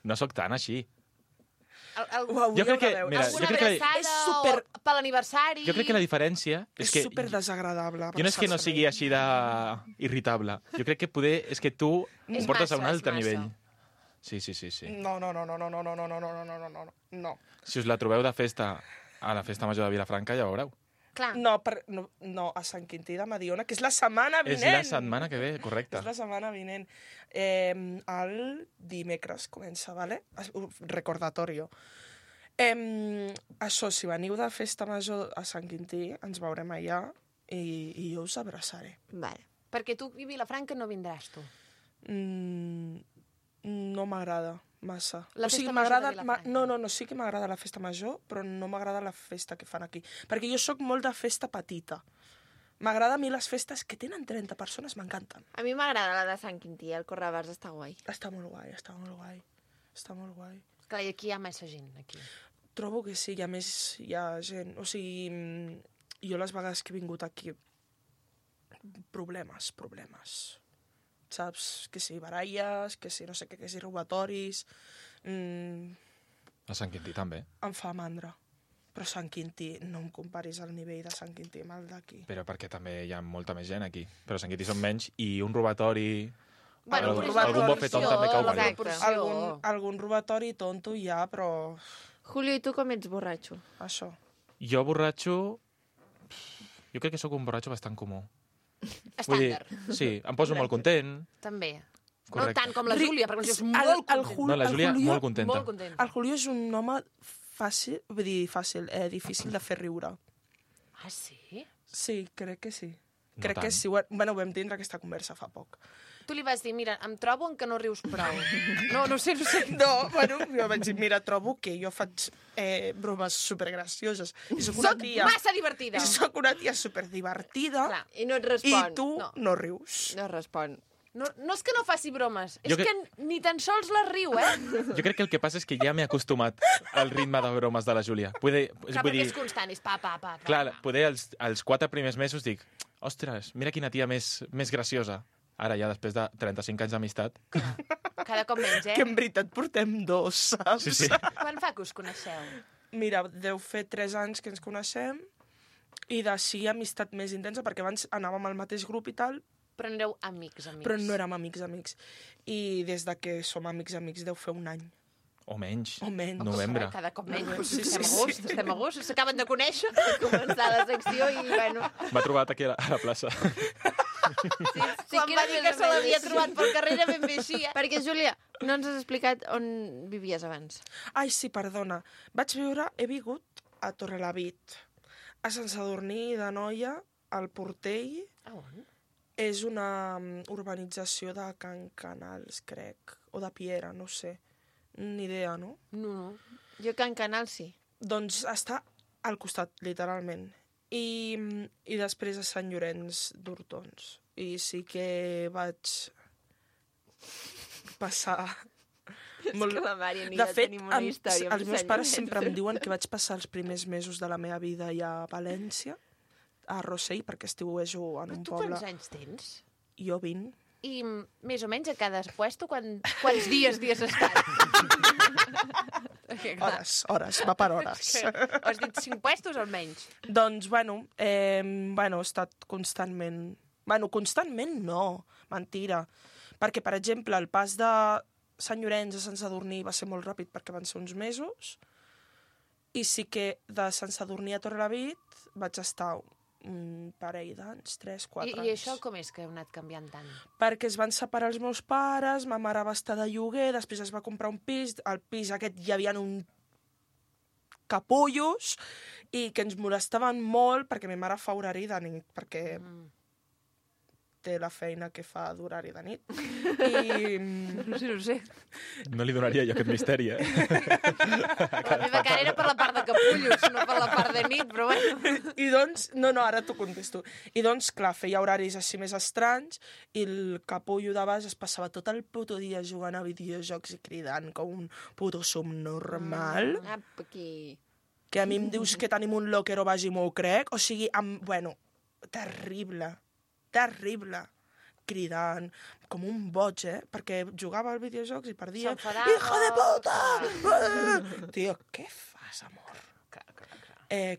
no sóc tan així. Ho hauríeu Jo crec que, de veure. mira, Alguna jo crec que- abraçada És super- o per l'aniversari? Jo crec que la diferència és És que... super desagradable. Jo no és que no sigui així d'irritable. Jo crec que poder és que tu ho És portes a massa, un és altre massa. nivell. Sí. No. Si us la trobeu de festa a la festa major de Vilafranca, ja ho veureu. Clar. No, a Sant Quintí de Mediona, que és la setmana És vinent. la setmana que ve, correcte. És la setmana vinent. El dimecres comença, vale? Recordatorio. Això, si veniu de festa major a Sant Quintí, ens veurem allà i jo us abraçaré. Vale. Perquè tu i Vilafranca no vindràs, tu. No m'agrada massa. La festa major de Vilafranca. No, sí que m'agrada la festa major, però no m'agrada la festa que fan aquí. Perquè jo sóc molt de festa petita. M'agrada a mi les festes que tenen 30 persones, m'encanten. A mi m'agrada la de Sant Quintí, el Correbars està guai. Està molt guai. Clar, i aquí hi ha massa gent, aquí. Trobo que sí, i a més hi ha gent... O sigui, jo les vegades que he vingut aquí... Problemes. Saps? Que si baralles, que si no sé què, que si robatoris... A Sant Quintí també. Em fa mandra. Però Sant Quintí, no em comparis el nivell de Sant Quintí amb el d'aquí. Però perquè també hi ha molta més gent aquí. Però a Sant Quintí són menys i un robatori... Bueno, Algun però és la algun bofetón proporció, també cau la bé. proporció. Algun robatori tonto hi ha, però Julio, i tu com ets borratxo? això. Jo borratxo... Jo crec que sóc un borratxo bastant comú. Estàndard. Sí, em poso molt content. També. Correcte. No tant com la Júlia, perquè la Júlia és molt contenta. No, la Júlia Julio- molt contenta. Molt contenta. El Julio és un home difícil de fer riure. Ah, sí? Sí, crec que sí. No Crec tant. que sí. Bueno, vam tindre aquesta conversa fa poc. Tu li vas dir, mira, em trobo en que no rius prou. No sé. No, bueno, jo vaig dir, mira, trobo que jo faig bromes supergracioses. I soc una Soc tia... massa divertida. I soc una tia superdivertida. Clar. I no et I respon. tu No. no rius. No respon. No és que no faci bromes, és Jo que ni tan sols les riu, Jo crec que el que passa és que ja m'he acostumat al ritme de bromes de la Júlia. Clar, perquè és constant, és pa. Clar, poder els 4 primers mesos dic, ostres, mira quina tia més graciosa. Ara ja, després de 35 anys d'amistat. Cada cop menys, Que en veritat portem 2, saps? Sí. Quan fa que us coneixeu? Mira, deu fer 3 anys que ens coneixem i d'ací amistat més intensa, perquè abans anàvem al mateix grup i tal, Però no éreu amics. però no érem amics. I des de que som amics deu fer 1 any. O menys. O menys. Novembre. Cada cop menys. Sí. Estem a gust, s'acaben de conèixer. Començar la secció i, bueno... M'ha trobat aquí a la plaça. Sí, Quan va dir que se l'havia trobat pel carrer era ben bé així, Perquè, Júlia, no ens has explicat on vivies abans. Ai, sí, perdona. He vingut a Torrelavit, a Sant Sadurní d'Anoia, al Portell. A on? És una urbanització de Can Canals, crec, o de Piera, no sé. Ni idea, no? No. Jo Can Canal sí. Doncs està al costat, literalment. I després a Sant Llorenç d'Hortons. I sí que vaig passar... És que la Mària ni De jo fet, tenim una història amb els meus Sant pares Llorenç sempre em diuen que vaig passar els primers mesos de la meva vida ja a València, a Rossell, perquè estiuejo en Però un tu poble. quants anys tens? Jo 20. I més o menys a cada puesto quants dies has estat? Perquè, clar, Hores, va per hores. has dit 5 puestos almenys. Doncs, he estat constantment... Constantment no, mentira. Perquè, per exemple, el pas de Sant Llorenç a Sant Sadurní va ser molt ràpid perquè van ser uns mesos, i sí que de Sant Sadurní a Torrelavit vaig estar un parell d'anys, 3-4 anys. I això com és que heu anat canviant tant? Perquè es van separar els meus pares, ma mare va estar de lloguer, després es va comprar un pis, al pis aquest hi havia un capullos i que ens molestaven molt perquè ma mare fa horari de nit, perquè té la feina que fa d'horari de nit. I... No sé. No li donaria jo aquest misteri, La meva cara era per la part de capullos, no per la part de nit, però bueno. I doncs, no, ara t'ho contesto. I doncs, clar, feia horaris així més estranys i el capullo de baix es passava tot el puto dia jugant a videojocs i cridant com un puto subnormal. Apa, aquí. Que a mi em dius que tenim un locker o baix i m'ho crec. O sigui, terrible, cridant, com un boig, perquè jugava al videojocs i perdia. S'enfadava. Hijo de puta! Tio, què fas, amor?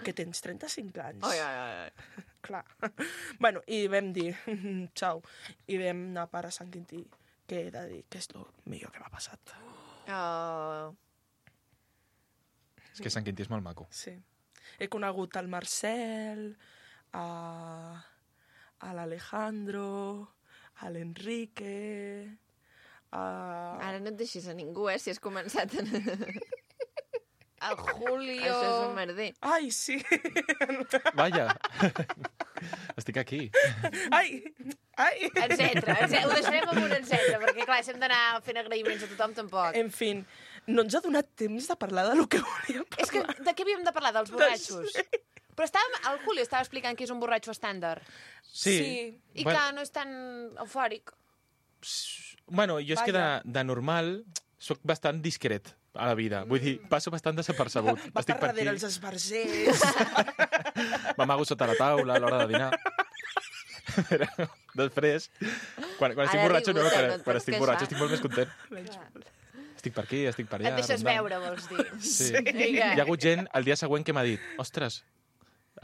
Que tens 35 anys. Ai. Clar. I vam dir, xau, i vam anar a Sant Quintí, que he de dir que és el millor que m'ha passat. Oh. És que Sant Quintí és molt maco. Sí. He conegut el Marcel, a l'Alejandro, a l'Enrique... Ara no et deixis a ningú, si has començat a... El Julio... Això és un merder. Ai, sí! Vaja, estic aquí. Ai! Etcètera. Ho deixarem amb un etcètera, perquè clar, si hem d'anar fent agraïments a tothom, tampoc. En fi, no ens ha donat temps de parlar de lo que volíem parlar. És que de què havíem de parlar? Dels borratxos? Però el Julio estava explicant que és un borratxo estàndard. Sí. I que no és tan eufòric. Bueno, jo és que de normal soc bastant discret a la vida. Vull dir, passo bastant desapercebut. Va Estic per per aquí, darrere els esbarzers. m'amago sota la taula a l'hora de dinar. Però després, quan estic Ara borratxo, no, rigut, no et quan pots estic queixar. borratxo estic molt més content. Estic per aquí, estic per allà. Et deixes rondant. veure, vols dir. Sí. Vinga. Hi ha hagut gent el dia següent que m'ha dit, ostres,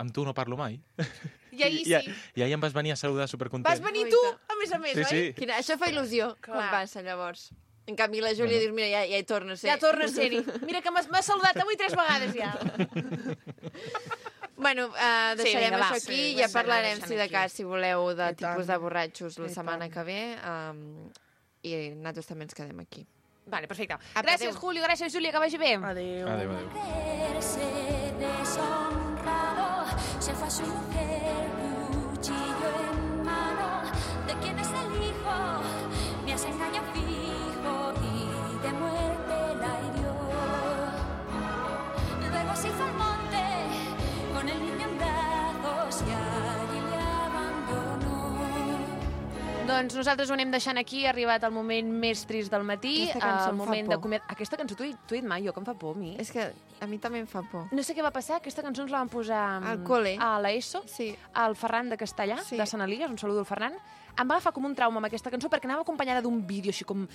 amb tu no parlo mai. I ahir sí. I ahir em vas venir a saludar supercontent. Vas venir tu, a més, Sí, sí. Això fa il·lusió, Clar. quan passa, llavors. En canvi, la Júlia dius, mira, ja hi torna a ser. Ja torna a ser-hi. Mira que m'ha saludat avui 3 vegades ja. Bueno, deixarem vinga, va. això aquí, Sí, ja ho hem d'anar parlarem, deixant si de aquí. cas, si voleu, de I tipus tant. de borratxos la I setmana tant. que ve. I nosaltres també ens quedem aquí. Vale, perfecte. Apa, Gràcies, adéu. Julio, gràcies, Júlia, que vagi bé. Adéu. Adéu, adéu. Verse deshonrado, se fue a su mujer, cuchillo en mano. ¿De quién es el hijo? Me has engañado fijo y de muerte la hirió. Luego se hizo al monte con el niño en brazos y allí le abandonó. Doncs nosaltres ho anem deixant aquí, ha arribat el moment més trist del matí, Aquesta cançó el em fa moment por. d'acomiadar... Aquesta cançó t'ho he dit mai, jo, que em fa por a mi. És que a mi també em fa por. No sé què va passar, aquesta cançó ens la van posar Al col·le. a l'ESO, Sí. al Ferran de Castellà, Sí. de Sant Elies, un saludo al Ferran. Em va agafar com un trauma amb aquesta cançó perquè anava acompanyada d'un vídeo així com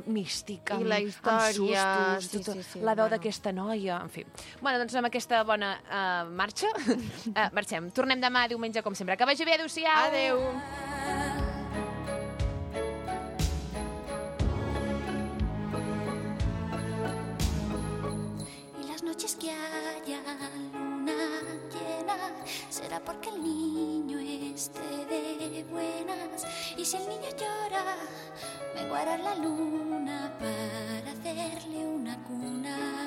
místic, I amb, la història, amb sustos, sí, tota sí, sí, la veu bueno. d'aquesta noia, en fi. Bueno, doncs amb aquesta bona marxa, marxem. Tornem demà, diumenge, com sempre. Que vagi bé, adéu-siau! Adeu! Y las noches que haya luna llena será porque el niño esté de buenas. Y si el niño llora, menguará la luna para hacerle una cuna.